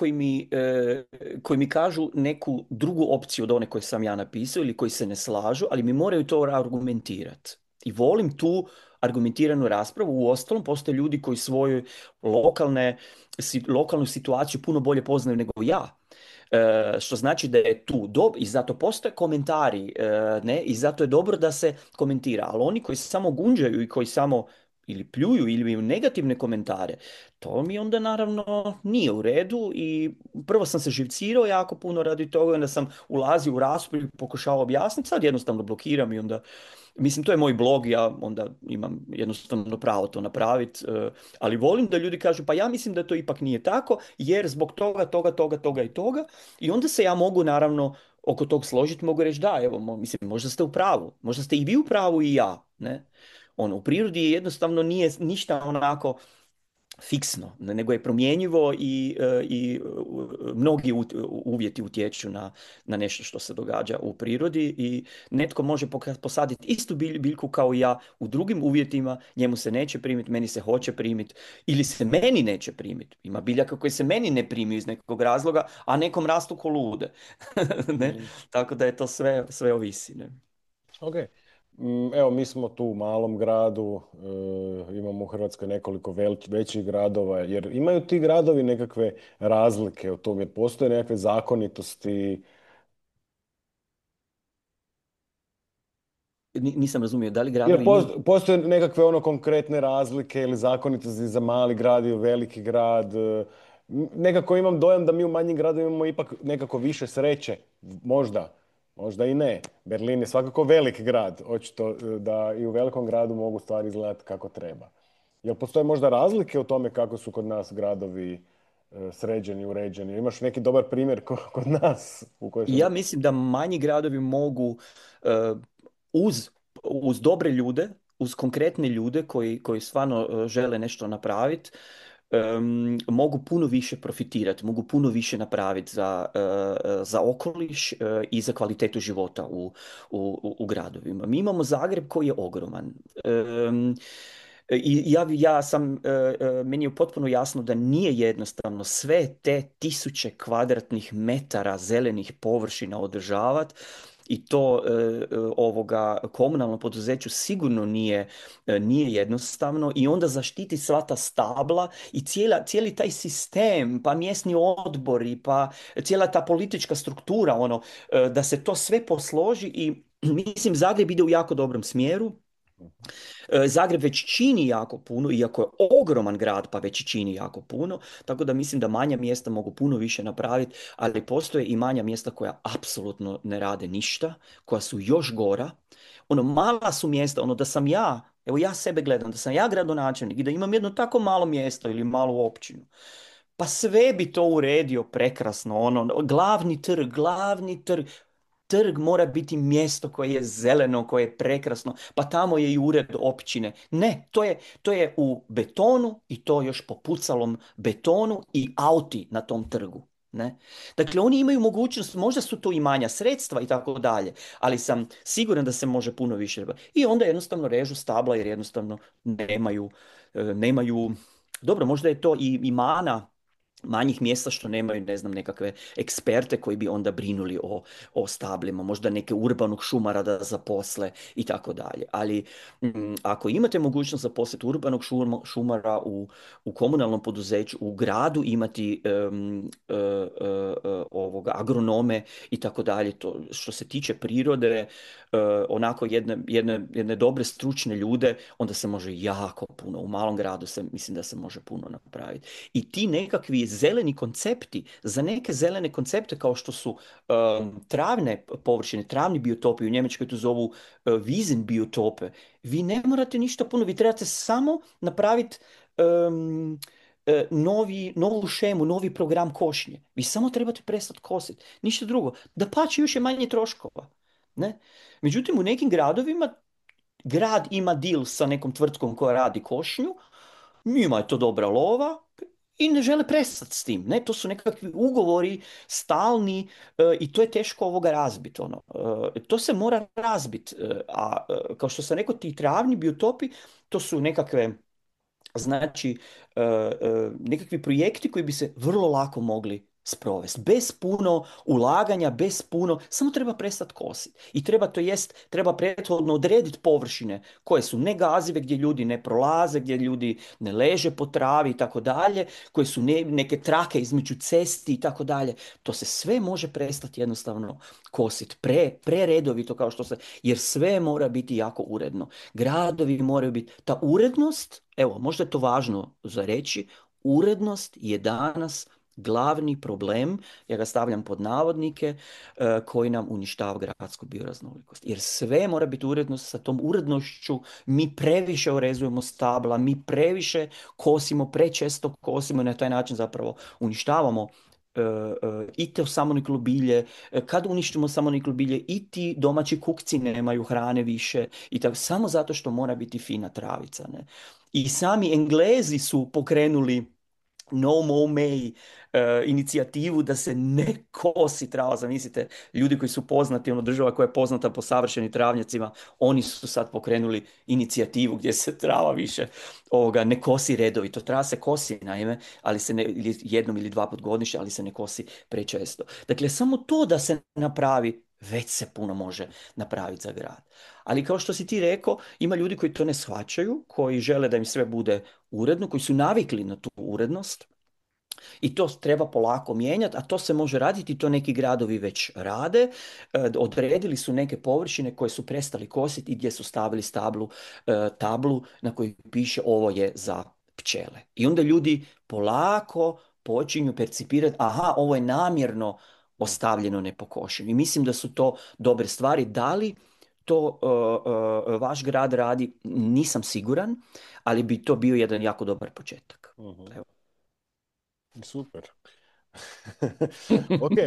koji mi kažu neku drugu opciju od one koje sam ja napisao ili koji se ne slažu, ali mi moraju to argumentirati. I volim tu argumentiranu raspravu. Uostalom, postoje ljudi koji svoju lokalnu situaciju puno bolje poznaju nego ja. Što znači da je tu i zato postoje komentari, ne, i zato je dobro da se komentira, ali oni koji se samo gunđaju i koji samo ili pljuju ili imaju negativne komentare, to mi onda naravno nije u redu i prvo sam se živcirao jako puno radi toga, onda sam ulazio u raspravu i pokušao objasniti, sad jednostavno blokiram i onda, mislim to je moj blog, ja onda imam jednostavno pravo to napraviti, ali volim da ljudi kažu pa ja mislim da to ipak nije tako jer zbog toga i toga i onda se ja mogu naravno oko tog složiti, mogu reći da, evo, mislim, možda ste u pravu, možda ste i vi u pravu i ja, ne? Ono, u prirodi je jednostavno nije ništa onako fiksno, nego je promjenjivo i mnogi uvjeti utječu na nešto što se događa u prirodi i netko može posaditi istu biljku kao i ja u drugim uvjetima, njemu se neće primiti, meni se hoće primiti ili se meni neće primiti. Ima biljaka koje se meni ne primiju iz nekog razloga, a nekom rastu ko lude. Ne? Mhm. Tako da je to sve ovisi. Ne? Ok. Evo, mi smo tu u malom gradu, imamo u Hrvatskoj nekoliko većih gradova, jer imaju ti gradovi nekakve razlike u tom, jer postoje nekakve zakonitosti. Nisam razumio, da li Jer gradovi imaju... postoje nekakve ono konkretne razlike ili zakonitosti za mali grad i veliki grad. Nekako imam dojam da mi u manjim gradovima imamo ipak nekako više sreće. Možda, možda i ne. Berlin je svakako velik grad. Očito da i u velikom gradu mogu stvari izgledati kako treba. Jel postoje možda razlike u tome kako su kod nas gradovi sređeni, uređeni? Imaš neki dobar primjer kod nas u kojoj sam... Ja mislim da manji gradovi mogu e, uz, uz dobre ljude, uz konkretne ljude koji stvarno žele nešto napraviti, mogu puno više profitirati, mogu puno više napraviti za okoliš i za kvalitetu života u gradovima. Mi imamo Zagreb koji je ogroman. I ja sam, meni je potpuno jasno da nije jednostavno sve te tisuće kvadratnih metara zelenih površina održavati i to ovoga komunalnom poduzeću sigurno nije jednostavno i onda zaštiti sva ta stabla i cijeli taj sistem, pa mjesni odbori, pa cijela ta politička struktura, ono, da se to sve posloži i mislim Zagreb ide u jako dobrom smjeru. Zagreb već čini jako puno, iako je ogroman grad pa već čini jako puno, tako da mislim da manja mjesta mogu puno više napraviti, ali postoje i manja mjesta koja apsolutno ne rade ništa, koja su još gora. Ono, mala su mjesta, ono da sam ja, evo ja sebe gledam, da sam ja gradonačelnik i da imam jedno tako malo mjesto ili malu općinu, pa sve bi to uredio prekrasno, ono, glavni trg, trg mora biti mjesto koje je zeleno, koje je prekrasno, pa tamo je i ured općine. Ne, to je u betonu i to još po pucalom betonu i auti na tom trgu. Ne? Dakle, oni imaju mogućnost, možda su to i manja sredstva i tako dalje, ali sam siguran da se može puno više. I onda jednostavno režu stabla jer jednostavno nemaju, dobro, možda je to i mana manjih mjesta što nemaju, ne znam, nekakve eksperte koji bi onda brinuli o stablima, možda neke urbanog šumara da zaposle i tako dalje. Ali ako imate mogućnost zaposliti urbanog šumara u komunalnom poduzeću, u gradu imati ovoga, agronome i tako dalje, to što se tiče prirode, onako jedne dobre stručne ljude, onda se može jako puno, u malom gradu mislim da se može puno napraviti. I ti nekakvi zeleni koncepti, za neke zelene koncepte kao što su travne površine, travni biotopi, u Njemačkoj to zovu Wiesen biotope, vi ne morate ništa puno, vi trebate samo napraviti novu šemu, novi program košnje. Vi samo trebate prestati kositi. Ništa drugo. Dapače, još je manje troškova. Ne? Međutim, u nekim gradovima grad ima deal sa nekom tvrtkom koja radi košnju, njima je to dobra lova i ne žele prestati s tim. Ne? To su nekakvi ugovori stalni i to je teško ovoga razbiti. Ono. To se mora razbiti. A kao što sam rekao, ti travni biotopi, to su nekakve znači nekakvi projekti koji bi se vrlo lako mogli sprovesti. Bez puno ulaganja, bez puno, samo treba prestati kositi. I treba, to jest, treba prethodno odrediti površine koje su negazive, gdje ljudi ne prolaze, gdje ljudi ne leže po travi i tako dalje, koje su neke trake između cesti i tako dalje. To se sve može prestati jednostavno kositi. Preredovito kao što se, jer sve mora biti jako uredno. Gradovi moraju biti, ta urednost, evo, možda je to važno za reći, urednost je danas glavni problem, ja ga stavljam pod navodnike, koji nam uništava gradsku bioraznolikost. Jer sve mora biti urednost, sa tom urednošću mi previše orezujemo stabla, mi previše kosimo, prečesto kosimo i na taj način zapravo uništavamo i to samoniklo bilje. Kad uništimo samoniklo bilje i ti domaći kukci nemaju hrane više i tako, samo zato što mora biti fina travica. Ne? I sami Englezi su pokrenuli No Mow May inicijativu da se ne kosi trava. Zamislite, ljudi koji su poznati, ono država koja je poznata po savršenim travnjacima, oni su sad pokrenuli inicijativu gdje se trava više ne kosi redovito. Trava se kosi, naime, ali se ne, jednom ili dva put godišnje, ali se ne kosi prečesto. Dakle, samo to da se napravi, već se puno može napraviti za grad. Ali kao što si ti rekao, ima ljudi koji to ne shvaćaju, koji žele da im sve bude uredno, koji su navikli na tu urednost i to treba polako mijenjati, a to se može raditi, to neki gradovi već rade. Odredili su neke površine koje su prestali kositi i gdje su stavili tablu na kojoj piše ovo je za pčele. I onda ljudi polako počinju percipirati, aha, ovo je namjerno ostavljeno nepokošeno. I mislim da su to dobre stvari. Da li to vaš grad radi, nisam siguran, ali bi to bio jedan jako dobar početak. Mhm. Evo. Super. Ok,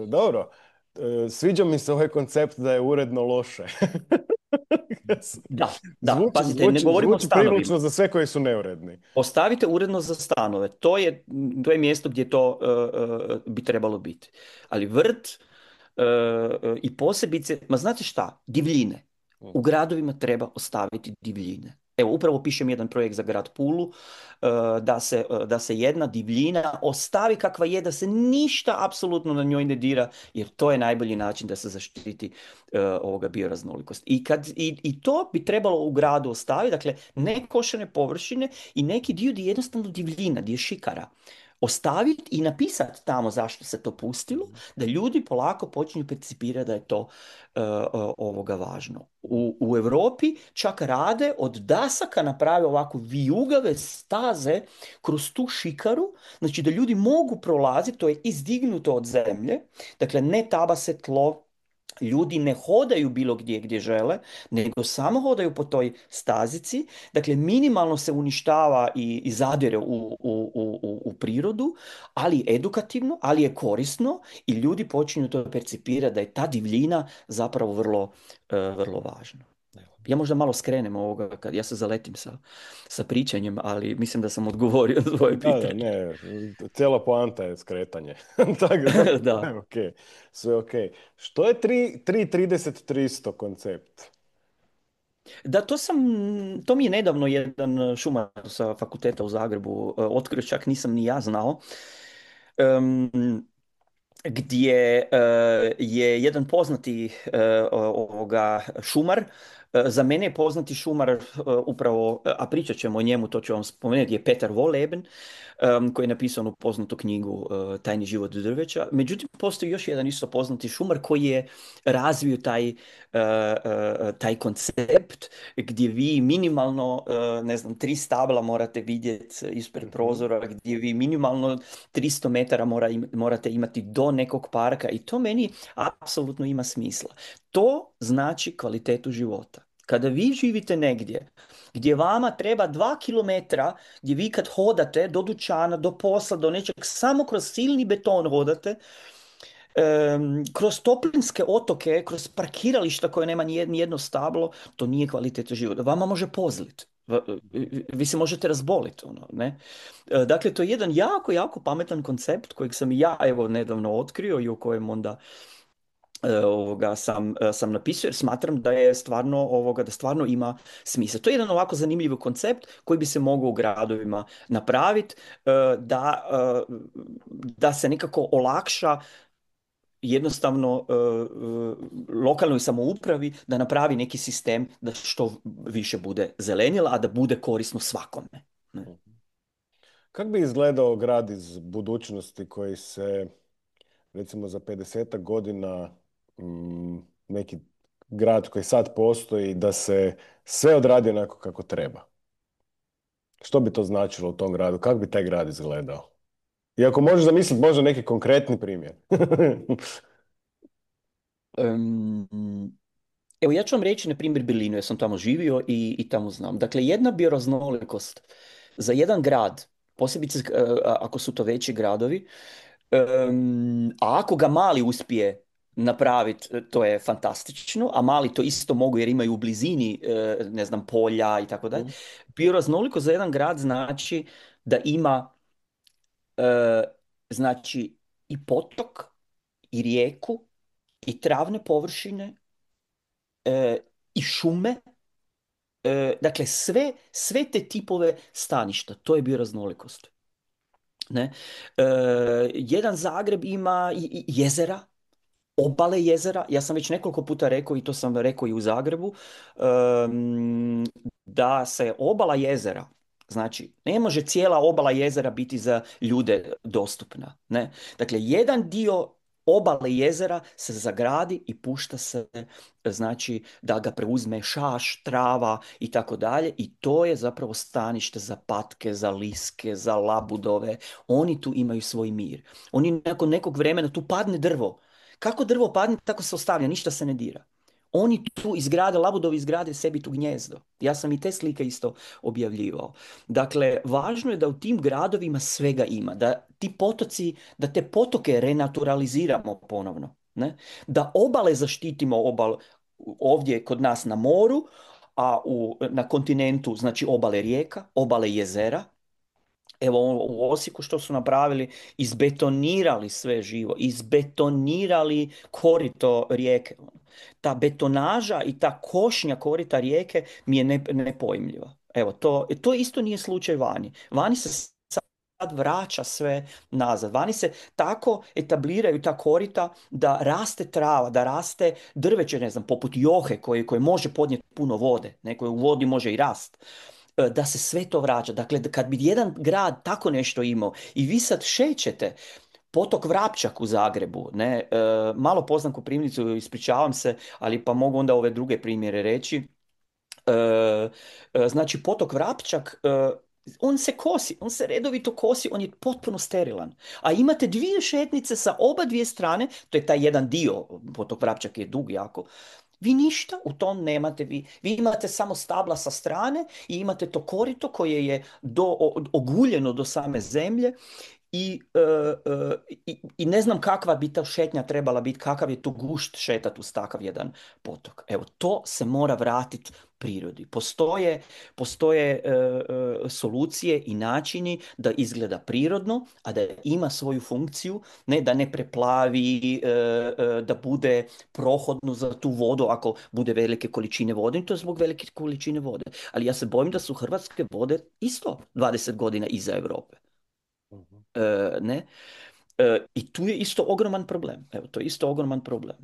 dobro. Sviđa mi se ovaj koncept da je uredno loše. Da, pazite, ne govorimo o Zvuči stanovima. privlačno za sve koji su neuredni. Ostavite uredno za stanove. To je mjesto gdje to bi trebalo biti. Ali vrt i posebice, ma znate šta, divljine. U gradovima treba ostaviti divljine. Evo, upravo pišem jedan projekt za grad Pulu, da se jedna divljina ostavi kakva je, da se ništa apsolutno na njoj ne dira, jer to je najbolji način da se zaštiti ovoga bioraznolikost. I to bi trebalo u gradu ostaviti, dakle, ne košene površine i neki dio gdje je jednostavno divljina, gdje je šikara. Ostaviti i napisati tamo zašto se to pustilo, da ljudi polako počinju percipirati da je to ovoga važno. U Europi čak rade od dasaka naprave ovako vijugave staze kroz tu šikaru, znači da ljudi mogu prolaziti, to je izdignuto od zemlje, dakle ne tabase tlo, ljudi ne hodaju bilo gdje žele, nego samo hodaju po toj stazici. Dakle, minimalno se uništava i zadire u prirodu, ali edukativno, ali je korisno i ljudi počinju to percipirati da je ta divljina zapravo vrlo važna. Ja možda malo skrenem ovoga, kad ja se zaletim sa pričanjem, ali mislim da sam odgovorio na svoje Da, pitanje. ne, cijela poanta je skretanje. Tako da, sve Da. je ok. Sve ok. Što je 3.30.300 koncept? Da, to mi je nedavno jedan šumar sa fakulteta u Zagrebu otkrio, čak nisam ni ja znao, gdje je jedan poznati ovoga šumar, za mene je poznati šumar upravo, a pričat ćemo o njemu, to ću vam spomenuti, je Petar Wolleben, koji je napisao onu poznatu knjigu Tajni život drveća. Međutim, postoji još jedan isto poznati šumar koji je razvio taj koncept gdje vi minimalno, ne znam, 3 stabla morate vidjeti ispred prozora, gdje vi minimalno 300 metara morate imati do nekog parka i to meni apsolutno ima smisla. To znači kvalitetu života. Kada vi živite negdje gdje vama treba 2 kilometra, gdje vi kad hodate do dućana, do posla, do nečeg, samo kroz silni beton hodate, kroz toplinske otoke, kroz parkirališta koje nema ni jedno stablo, to nije kvaliteta života. Vama može pozlit. Vi se možete razboliti, ono, ne? Dakle, to je jedan jako, jako pametan koncept kojeg sam i ja, evo, nedavno otkrio i o kojem onda sam napisao jer smatram da je stvarno da stvarno ima smisla. To je jedan ovako zanimljiv koncept koji bi se mogao u gradovima napraviti da se nekako olakša jednostavno lokalnoj samoupravi da napravi neki sistem da što više bude zelenila, a da bude korisno svakome. Ne? Kako bi izgledao grad iz budućnosti koji se, recimo za 50 godina, neki grad koji sad postoji, da se sve odradi onako kako treba? Što bi to značilo u tom gradu? Kako bi taj grad izgledao? I ako možeš zamisliti možda neki konkretni primjer. Em, Evo, ja ću vam reći, na primjer, Berlinu, jer sam tamo živio i tamo znam. Dakle, jedna bioraznolikost za jedan grad, posebice ako su to veći gradovi, a ako ga mali uspije napraviti, to je fantastično, a mali to isto mogu jer imaju u blizini, ne znam, polja i tako dalje. Bioraznolikost za jedan grad znači da ima, e, znači, i potok, i rijeku, i travne površine, i šume, dakle sve te tipove staništa, to je bioraznolikost. Ne? Jedan Zagreb ima i jezera, obale jezera. Ja sam već nekoliko puta rekao i to sam rekao i u Zagrebu, em, da se obala jezera, znači ne može cijela obala jezera biti za ljude dostupna, ne? Dakle, jedan dio obale jezera se zagradi i pušta se, znači da ga preuzme šaš, trava i tako dalje, i to je zapravo stanište za patke, za liske, za labudove. Oni tu imaju svoj mir. Oni nakon nekog vremena, tu padne drvo. Kako drvo padne, tako se ostavlja, ništa se ne dira. Oni tu izgrade, labudovi izgrade sebi tu gnjezdo. Ja sam i te slike isto objavljivao. Dakle, važno je da u tim gradovima svega ima, da ti potoci, da te potoke renaturaliziramo ponovno, ne? Da obale zaštitimo, ovdje kod nas na moru, a na kontinentu, znači obale rijeka, obale jezera. Evo u Osijeku što su napravili, izbetonirali sve živo, izbetonirali korito rijeke. Ta betonaža i ta košnja korita rijeke mi je nepojmljiva. Evo, to isto nije slučaj vani. Vani se sad vraća sve nazad. Vani se tako etabliraju ta korita da raste trava, da raste drveće, ne znam, poput johe koje može podnijeti puno vode, koje u vodi može i rast, da se sve to vraća. Dakle, kad bi jedan grad tako nešto imao i vi sad šećete potok Vrapčak u Zagrebu, ne, malo poznam Koprivnicu, ispričavam se, ali pa mogu onda ove druge primjere reći. Znači, potok Vrapčak, on se kosi, on se redovito kosi, on je potpuno sterilan. A imate dvije šetnice sa oba dvije strane, to je taj jedan dio, potok Vrapčak je dug jako, vi ništa u tom nemate. Vi imate samo stabla sa strane i imate to korito koje je oguljeno do same zemlje i ne znam kakva bi ta šetnja trebala biti, kakav je to gušt šetat uz takav jedan potok. Evo, to se mora vratiti prirodi. Postoje solucije i načini da izgleda prirodno, a da ima svoju funkciju, ne da ne preplavi, da bude prohodno za tu vodu ako bude velike količine vode, i to je zbog velike količine vode. Ali ja se bojim da su hrvatske vode isto 20 godina iza Europe. Ne? I tu je isto ogroman problem. Evo, to je isto ogroman problem.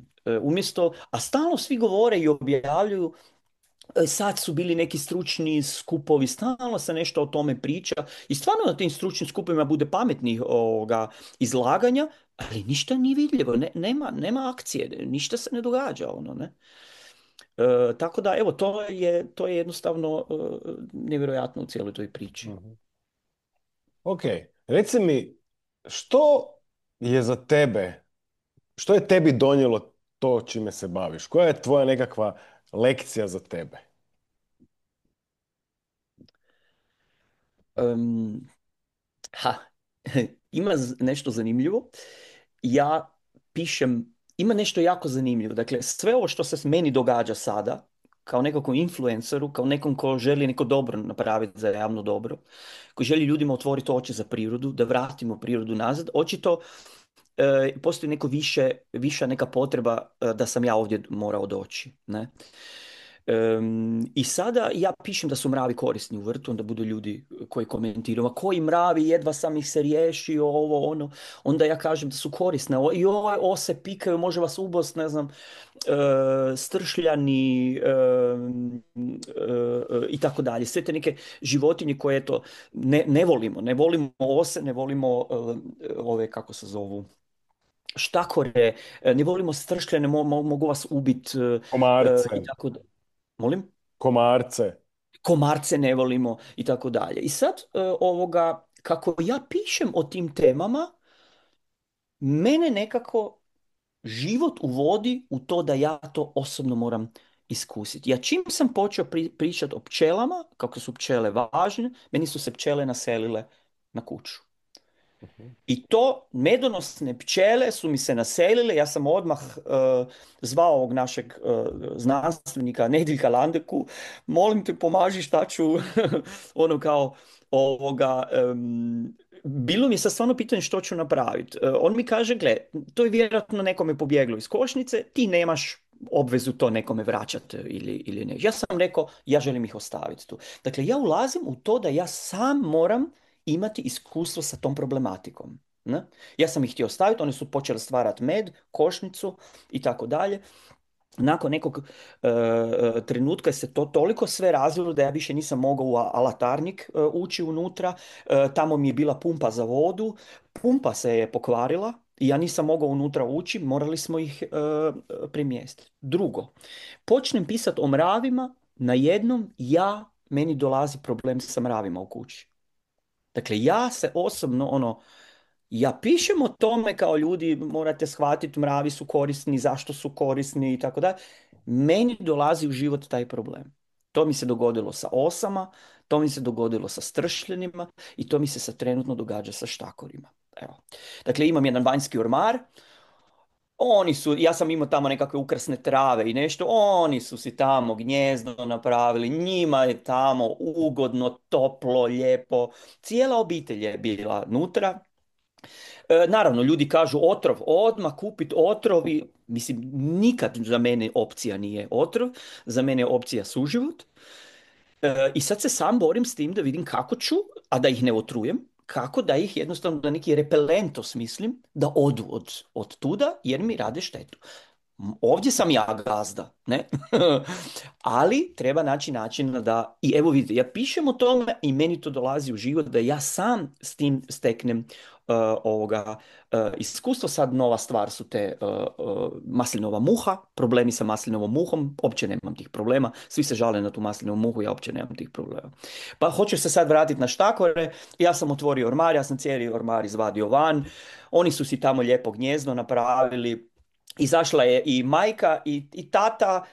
A stalno svi govore i objavljuju, sad su bili neki stručni skupovi, stalno se nešto o tome priča i stvarno na tim stručnim skupovima bude pametnih izlaganja, ali ništa nije vidljivo, nema akcije, ništa se ne događa, ono, ne? Tako da, evo, to je jednostavno nevjerojatno u cijeloj toj priči. Ok, reci mi, što je za tebe, što je tebi donijelo to čime se baviš? Koja je tvoja nekakva lekcija za tebe? Um, ha, ima nešto zanimljivo. Ja pišem, ima nešto jako zanimljivo. Dakle, sve ovo što se meni događa sada, kao nekakvom influenceru, kao nekom ko želi neko dobro napraviti za javno dobro, koji želi ljudima otvoriti oči za prirodu, da vratimo prirodu nazad, očito postoji viša neka potreba da sam ja ovdje morao doći, ne? I sada ja pišem da su mravi korisni u vrtu, onda budu ljudi koji komentiraju, a koji mravi, jedva sam ih se riješio, ovo, ono. Onda ja kažem da su korisne. I ove ose pikaju, može vas ubost, ne znam, stršljani i tako dalje. Sve te neke životinje koje to ne volimo. Ne volimo ose, ne volimo ove, kako se zovu, štakore, ne volimo stršljane, mogu vas ubiti Komarce, i tako dalje. Molim? komarce. Komarce ne volimo i tako dalje. I sad kako ja pišem o tim temama, mene nekako život uvodi u to da ja to osobno moram iskusiti. Ja čim sam počeo pričati o pčelama, kako su pčele važne, meni su se pčele naselile na kuću. I to medonosne pčele su mi se naselile, ja sam odmah zvao ovog našeg znanstvenika Nediljka Landeku, molim te pomaži šta ću, ono kao bilo mi je sad stvarno pitanje što ću napraviti. On mi kaže, gle, to je vjerojatno nekome pobjeglo iz košnice, ti nemaš obvezu to nekome vraćati ili ne. Ja sam rekao, ja želim ih ostaviti tu. Dakle, ja ulazim u to da ja sam moram imati iskustvo sa tom problematikom. Ne? Ja sam ih htio staviti, oni su počeli stvarati med, košnicu i tako dalje. Nakon nekog trenutka se to toliko sve razvilo da ja više nisam mogao u alatarnik ući unutra. Tamo mi je bila pumpa za vodu. Pumpa se je pokvarila i ja nisam mogao unutra ući. Morali smo ih premjestiti. Drugo, počnem pisati o mravima, najednom meni dolazi problem sa mravima u kući. Dakle, ja se osobno, ja pišem o tome kao ljudi, morate shvatiti, mravi su korisni, zašto su korisni i tako dalje. Meni dolazi u život taj problem. To mi se dogodilo sa osama, to mi se dogodilo sa stršljenima i to mi se sad trenutno događa sa štakorima. Evo. Dakle, imam jedan vanjski ormar, ja sam imao tamo nekakve ukrasne trave i nešto, oni su si tamo gnjezdo napravili, njima je tamo ugodno, toplo, lijepo, cijela obitelj je bila nutra. Naravno, ljudi kažu otrov, odmah kupit otrov i mislim, nikad za mene opcija nije otrov, za mene je opcija suživot. I sad se sam borim s tim da vidim kako ću, a da ih ne otrujem, kako da ih jednostavno na neki repelent osmislim, da odu od tuda jer mi rade štetu. Ovdje sam ja gazda, ne? Ali treba naći način da, i evo vidite, ja pišem o tome i meni to dolazi u život da ja sam s tim steknem iskustvo. Sad nova stvar su te maslinova muha, problemi sa maslinovom muhom, uopće nemam tih problema, svi se žale na tu maslinovu muhu, ja uopće nemam tih problema. Pa hoću se sad vratiti na štakore, ja sam otvorio ormar, ja sam cijeli ormar izvadio van, oni su si tamo lijepo gnjezdo napravili. Izašla je i majka i tata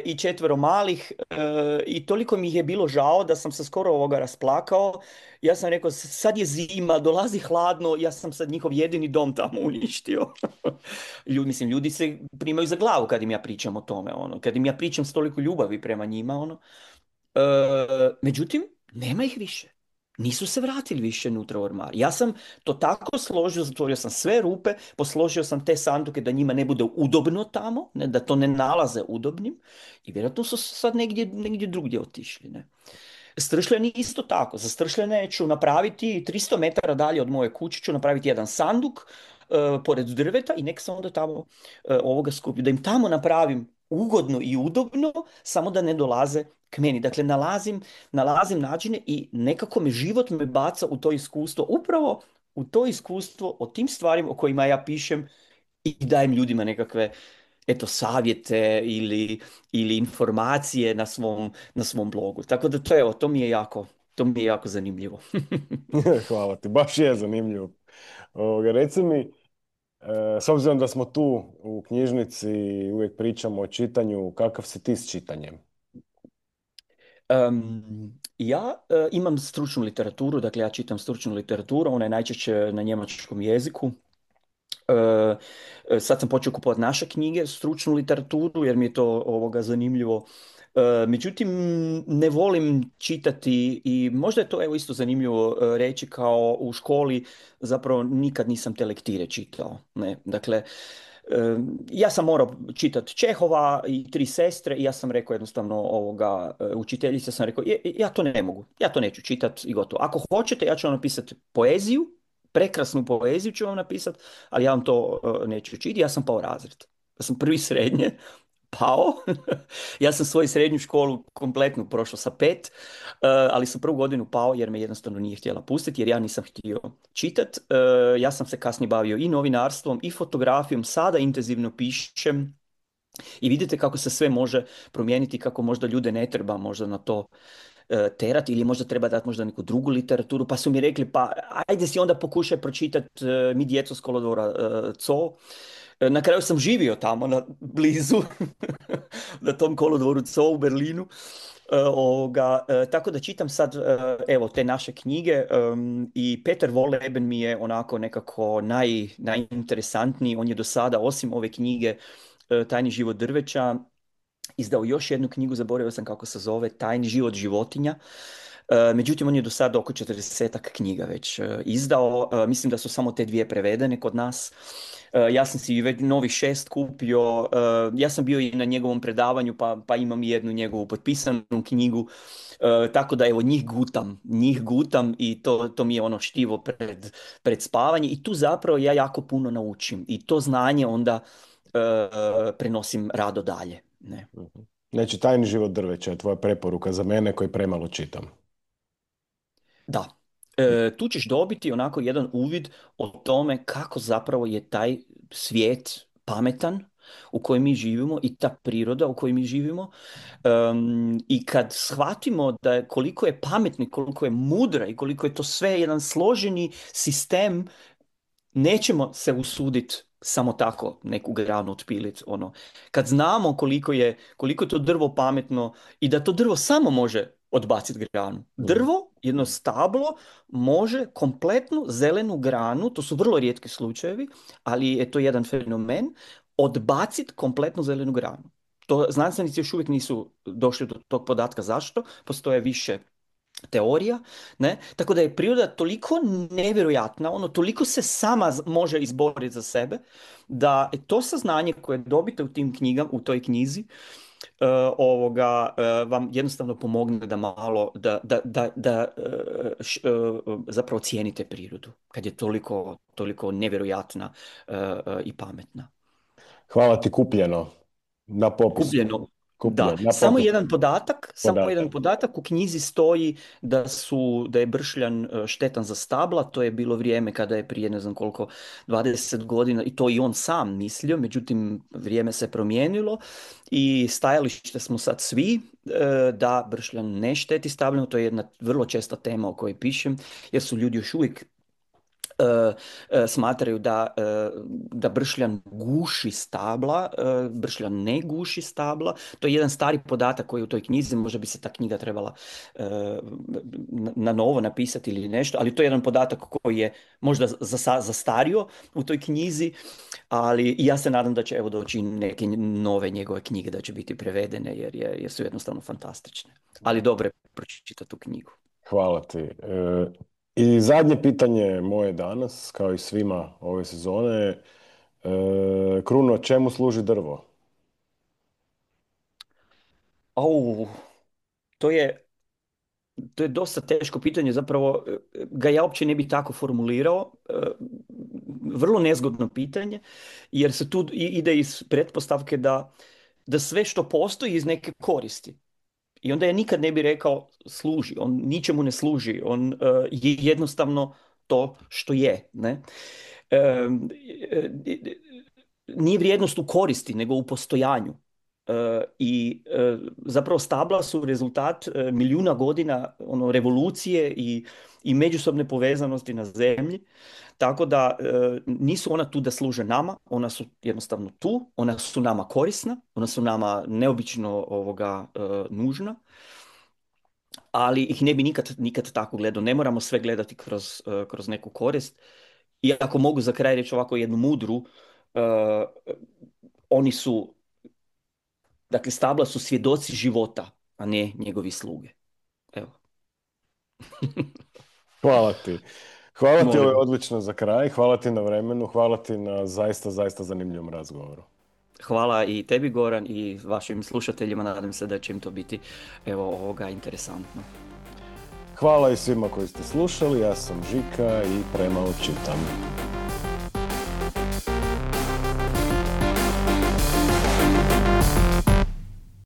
i 4 malih i toliko mi ih je bilo žao da sam se skoro rasplakao. Ja sam rekao, sad je zima, dolazi hladno, ja sam sad njihov jedini dom tamo uništio. Ljudi se primaju za glavu kad im ja pričam o tome, kad im ja pričam s toliko ljubavi prema njima, Međutim, nema ih više. Nisu se vratili više unutra u ormar. Ja sam to tako složio, zatvorio sam sve rupe, posložio sam te sanduke da njima ne bude udobno tamo, ne, da to ne nalaze udobnim i vjerojatno su sad negdje drugdje otišli. Ne. Stršljeni isto tako. Za stršljene ću napraviti 300 metara dalje od moje kuće, ću napraviti jedan sanduk pored drveta i nek se onda tamo skupi. Da im tamo napravim ugodno i udobno, samo da ne dolaze k meni. Dakle, nalazim načine i nekako život me baca u to iskustvo, upravo u to iskustvo o tim stvarima o kojima ja pišem i dajem ljudima nekakve savjete ili informacije na svom blogu. Tako da to mi je jako zanimljivo. Hvala ti, baš je zanimljivo. Reci mi, s obzirom da smo tu u knjižnici i uvijek pričamo o čitanju, kakav si ti s čitanjem? Ja imam stručnu literaturu, dakle ja čitam stručnu literaturu, ona je najčešće na njemačkom jeziku. Sad sam počeo kupovati naše knjige, stručnu literaturu, jer mi je to zanimljivo. Međutim, ne volim čitati i možda je to isto zanimljivo reći kao u školi, zapravo nikad nisam te lektire čitao. Ne? Dakle, ja sam morao čitati Čehova i Tri sestre i ja sam rekao jednostavno učiteljica sam rekao, ja to ne mogu, ja to neću čitati i gotovo. Ako hoćete, ja ću vam napisati poeziju, prekrasnu poeziju ću vam napisati, ali ja vam to neću čitati. Ja sam pao razred. Ja sam prvi srednje pao. Ja sam svoju srednju školu kompletnu prošao sa 5, ali sam prvu godinu pao jer me jednostavno nije htjela pustiti, jer ja nisam htio čitat. Ja sam se kasnije bavio i novinarstvom i fotografijom, sada intenzivno pišem i vidite kako se sve može promijeniti, kako možda ljude ne treba možda na to terati ili možda treba dati možda neku drugu literaturu, pa su mi rekli pa ajde si onda pokušaj pročitati Mi djeco s kolodvora Zoo. Na kraju sam živio tamo blizu na tom kolodvoru Zoo u Berlinu. Tako da čitam sad te naše knjige i Peter Wolleben mi je onako nekako najinteresantniji. On je do sada, osim ove knjige Tajni život drveća, izdao još jednu knjigu, zaboravio sam kako se zove, Tajni život životinja. Međutim, on je do sada oko 40-ak knjiga već izdao. Mislim da su samo te dvije prevedene kod nas. Ja sam si već novih 6 kupio. Ja sam bio i na njegovom predavanju, pa imam i jednu njegovu potpisanu knjigu. Tako da evo njih gutam i to mi je ono štivo pred spavanje. I tu zapravo ja jako puno naučim. I to znanje onda prenosim rado dalje. Ne. Mhm. Znači, Tajni život drveća je tvoja preporuka za mene koji premalo čitam. Da. Tu ćeš dobiti onako jedan uvid o tome kako zapravo je taj svijet pametan u kojem mi živimo i ta priroda u kojoj mi živimo. I kad shvatimo da koliko je pametni, koliko je mudra i koliko je to sve jedan složeni sistem, nećemo se usuditi samo tako neku granu otpiliti. Ono. Kad znamo koliko je to drvo pametno i da to drvo samo može odbaciti granu. Mhm. Drvo, jedno stablo, može kompletnu zelenu granu, to su vrlo rijetki slučajevi, ali je to jedan fenomen, odbaciti kompletnu zelenu granu. To znanstvenici još uvijek nisu došli do tog podatka. Zašto? Postoje više teorija, ne? Tako da je priroda toliko nevjerojatna, ono toliko se sama može izboriti za sebe, da to saznanje koje dobite u tim knjigama, u toj knjizi, vam jednostavno pomogne da malo, zapravo cijenite prirodu, kad je toliko nevjerojatna i pametna. Hvala ti, kupljeno na popisu. Kupljeno. Da, Kupljeno na popisu. samo jedan podatak u knjizi stoji da je bršljan štetan za stabla. To je bilo vrijeme kada je prije ne znam koliko 20 godina i to i on sam mislio, međutim vrijeme se promijenilo i stajalište smo sad svi da bršljan ne šteti stablima. To je jedna vrlo česta tema o kojoj pišem, jer su ljudi još uvijek smatraju da bršljan guši stabla. Bršljan ne guši stabla. To je jedan stari podatak koji je u toj knjizi, možda bi se ta knjiga trebala na novo napisati ili nešto, ali to je jedan podatak koji je možda zastario u toj knjizi, ali ja se nadam da će evo doći neke nove njegove knjige, da će biti prevedene jer su jednostavno fantastične. Ali dobro je pročitati tu knjigu. Hvala ti. I zadnje pitanje moje danas, kao i svima ove sezone. Kruno, čemu služi drvo? Au, to je To je dosta teško pitanje, zapravo ga ja uopće ne bi tako formulirao. Vrlo nezgodno pitanje, jer se tu ide iz pretpostavke da sve što postoji iz neke koristi. I onda ja nikad ne bi rekao služi, on ničemu ne služi, on je jednostavno to što je. Ne? E, Nije vrijednost u koristi, nego u postojanju. Zapravo stabla su rezultat milijuna godina revolucije i međusobne povezanosti na zemlji. Tako da nisu ona tu da služe nama, ona su jednostavno tu, ona su nama korisna, ona su nama neobično nužna, ali ih ne bi nikad tako gledao. Ne moramo sve gledati kroz neku korist. I ako mogu za kraj reći ovako jednu mudru, oni su, dakle, stabla su svjedoci života, a ne njegovi sluge. Evo. Hvala ti. Hvala ti, ovo je Molim. odlično za kraj. Hvala ti na vremenu. Hvala ti na zaista, zaista zanimljivom razgovoru. Hvala i tebi, Goran, i vašim slušateljima. Nadam se da će im to biti interesantno. Hvala i svima koji ste slušali. Ja sam Žika i premalo čitam.